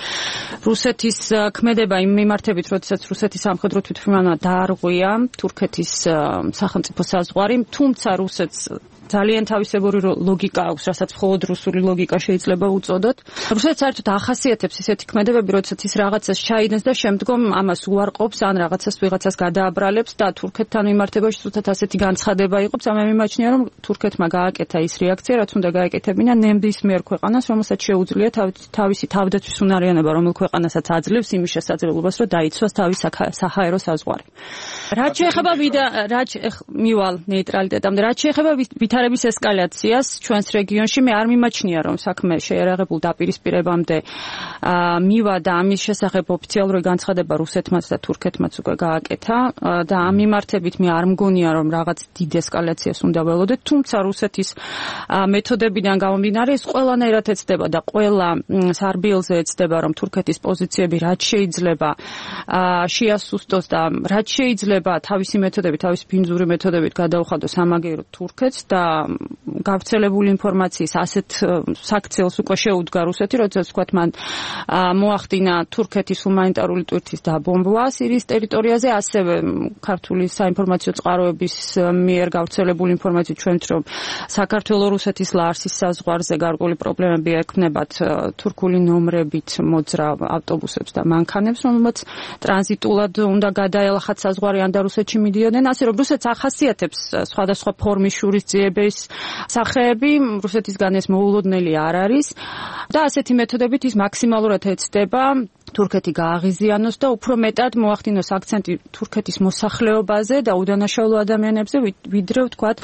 რუსეთის ქმედება იმ მიმართებით, როდესაც რუსეთის სამხედრო თვითმფრინავმა დაარღვია თურქეთის სახელმწიფო საზღვარი, თუმცა რუსეთს ძალიან თავისებური ლოგიკა აქვს, რასაც მხოლოდ რუსული ლოგიკა შეიძლება უწოდოთ. რუსეთს საერთოდ ახასიათებს ისეთი ქმედებები, როდესაც ის რაღაცას ჩაიდენს და შემდგომ ამას უარყოფს, ან რაღაცას ვიღაცას გადააბრალებს და თურქეთთან მიმართებაში ზუსტად ასეთი განცხადება იყო. ამე მიმაჩნია, რომ თურქეთმა გააკეთა ის რეაქცია, რაც უნდა გააკეთებინა ნებისმიერ ქვეყანას, რომელსაც შეუძლია თავისი თავდაცვის უნარიანობა, რომელ ქვეყანასაც აძლევს იმის შესაძლებლობას, რომ დაიცვას თავის საჰაერო საზღვარი. რაც შეეხება მივალ ნეიტრალიტეტამდე, რაც შეეხება ვითარების ესკალაციას ჩვენს რეგიონში მე არ მიმაჩნია რომ საქმე შეერაღებულ დაპირისპირებამდე მივა და ამის შესახებ ოფიციალური განცხადება რუსეთმაც და თურქეთმაც უკვე გააკეთა და ამ მიმართებით მე არ მგონია რომ რაღაც დიდ ესკალაციას უნდა ველოდეთ თუმცა რუსეთის მეთოდებიდან გამომდინარე ეს ყველანაირად ეცდება და ყველა სარბიელზე ეცდება რომ თურქეთის პოზიციები რაც შეიძლება შეასუსტოს და რაც შეიძლება თავისი მეთოდებით თავისი ბინძური მეთოდებით გადაუხადოს ამაგეროთ თურქეთს და გავრცელებული ინფორმაციის ასეთ საქციელს უკვე შეუდგა რუსეთი, როდესაც ვთქვათ მან მოახდინა თურქეთის ჰუმანიტარული ტვირთის დაბომბვა სირიის ტერიტორიაზე, ასევე ქართული საინფორმაციო წყაროების მიერ გავრცელებული ინფორმაციით ჩვენთ რომ საქართველო-რუსეთის ლარსის საზღვარზე გარკვეული პრობლემები ექნებათ თურქული ნომრებით მოძრავ ავტობუსებს და მანქანებს, რომელმაც ტრანზიტულად უნდა გადაელახათ საზღვარი ან და რუსეთში მიდიოდნენ, ასე რომ რუსეთს ახასიათებს სხვადასხვა ფორმის შურისძიების სახეები, რუსეთისგან ეს მოულოდნელი არ არის და ასეთი მეთოდებით ის მაქსიმალურად ეცდება თურქეთი გააღიზიანოს და უფრო მეტად მოახდინოს აქცენტი თურქეთის მოსახლეობაზე და უდანაშაულო ადამიანებზე, ვიდრე ვთქვათ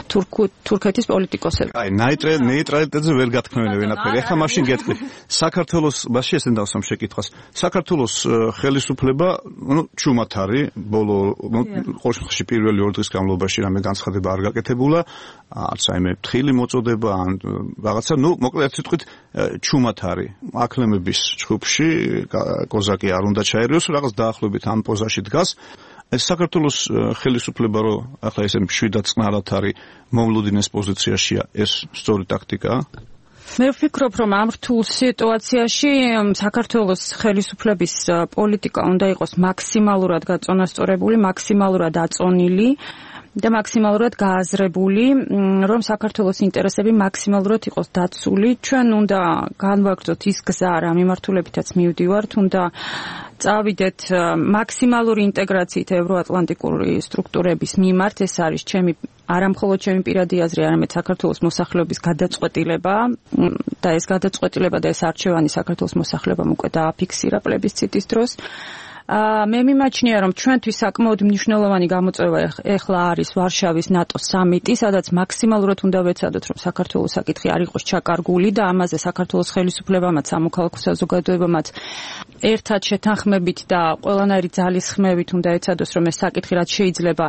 თურქეთის პოლიტიკოსებზე. აი, ნეიტრალიტეტზე ვერ გათქმევენ ვენაფერი. ეხლა მაშინ გეტყვი, საქართველოს მასში ესენ დავსვამ შეკითხვას. საქართველოს ხელისუფლება, ჩუმად არის, ბოლო ყოველში პირველი 2 დღის განმავლობაში რამე განცხადება არ გაკეთებულა, არც აიმე ფთხილი მოწოდება ან რაღაცა, მოკლედ სიტყვით ჩუმად არის. აკლემების ჯგუფში კოზაკი არ უნდა ჩაერიოს, რაღაც დაახლოებით ამ პოზაში დგას. ეს საქართველოს ხელისუფლება რო ახლა ესე მშვიდად წყნარად არის მომლუდინეს პოზიციაშია, ეს სწორი ტაქტიკაა? მე ვფიქრობ, რომ ამ რთულ სიტუაციაში საქართველოს ხელისუფლების პოლიტიკა უნდა იყოს მაქსიმალურად გაწონასწორებული, მაქსიმალურად აწონილი და მაქსიმალურად გააზრებული, რომ საქართველოს ინტერესები მაქსიმალურად იყოს დაცული. ჩვენ უნდა განვაგრძოთ ის გზა, რა მიმართულებითაც მივდივართ, უნდა წავიდეთ მაქსიმალური ინტეგრაციით ევროატლანტიკური სტრუქტურების მიმართ. ეს არის ჩემი არამხოლოდ ჩემი პირადი აზრი, არამედ საქართველოს მოსახლეობის გადაწყვეტილება და ეს გადაწყვეტილება და ეს არჩევანი საქართველოს მოსახლეობამ უკვე დააფიქსირა პლებისციტის დროს. მე მიმაჩნია, რომ ჩვენთვის საკმაოდ მნიშვნელოვანი გამოწვევა ეხლა არის ვარშავის ნატოს სამიტი, სადაც მაქსიმალურად უნდა ვეცადოთ, რომ საქართველოს საკითხი არ იყოს ჩაკარგული და ამაზე საქართველოს ხელისუფლებამაც, სამოქალაქო საზოგადოებამაც ერთად შეთანხმებით და ყველანაირი ძალის ხმევით უნდა ეცადოს, რომ ეს საკითხი რაც შეიძლება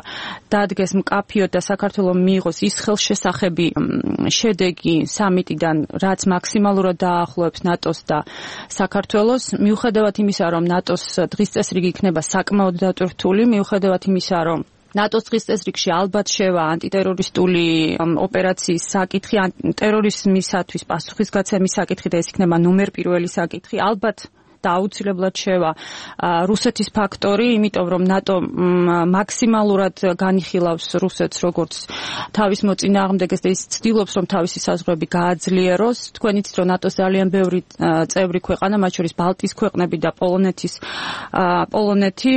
დადგეს მკაფიოდ და საქართველოს მიიღოს ის ხელშესახები შედეგი სამიტიდან, რაც მაქსიმალურად დაახლოებს ნატოს და საქართველოს, მიუხედავად იმისა, რომ ნატოს დღის წესრიგი იქნება საკმაოდ დატვირთული, მიუხედავად იმისა, რომ ნატოს დღის წესრიგში ალბათ შევა ანტიტერორისტული ოპერაციის საკითხი, ტერორიზმისათვის პასუხისგაცემის საკითხი და ეს იქნება ნომერ პირველი საკითხი. ალბათ და აუცილებლად შევა რუსეთის ფაქტორი, იმიტომ რომ ნატო მაქსიმალურად განიხილავს რუსეთს როგორც თავის მოწინააღმდეგეს და ის ცდილობს რომ თავისი საზღვრები გააძლიეროს. თქვენ იცით რომ ნატოს ძალიან ბევრი წევრი ქვეყანა, მათ შორის ბალტიის ქვეყნები და პოლონეთი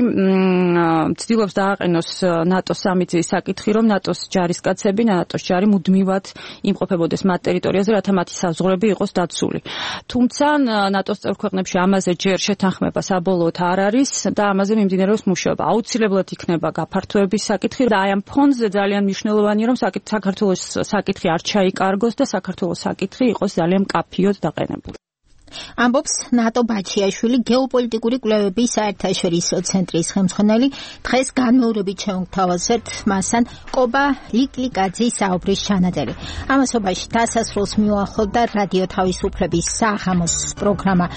ცდილობს დააყენოს ნატოს სამიწის საკითხი, რომ ნატოს ჯარისკაცები, ნატოს ჯარი მუდმივად იმყოფებოდეს მათ ტერიტორიაზე, რათა მათი საზღვრები იყოს დაცული. თუმცა ნატოს წევრ ქვეყნებში ამაზე ჯერ შეთანხმება საბოლოოდ არ არის და ამაზე მიმდინარეობს მუშაობა. აუცილებლად იქნება გაფართოების საკითხი და აი ამ ფონზე ძალიან მნიშვნელოვანია რომ საქართველოს საკითხი არ ჩაიკარგოს და საქართველოს საკითხი იყოს ძალიან მკაფიოდ დაყენებული. ამბობს ნატო ბაჩიაშვილი, გეოპოლიტიკური კვლევების საერთაშორისო ცენტრის ხელმძღვანელი. დღეს განმეორებით შევთავაზეთ მასთან კობა ლიკლიკაძის საუბრის ჩანაწერი. ამასობაში დასასრულს მიუახლოვდა რადიო თავისუფლების საღამოს პროგრამა.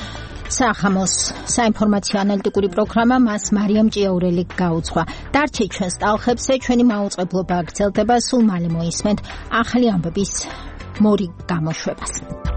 საღამოს საინფორმაციო ანალიტიკური პროგრამა მას მარიამ ჭიაურელი გაუძღვა. დარჩეთ ჩვენს ტალხებზე, ჩვენი მაუწყებლობა გრძელდება, სულ მალე მოისმენთ ახალი ამბების მორი გამოშვებას.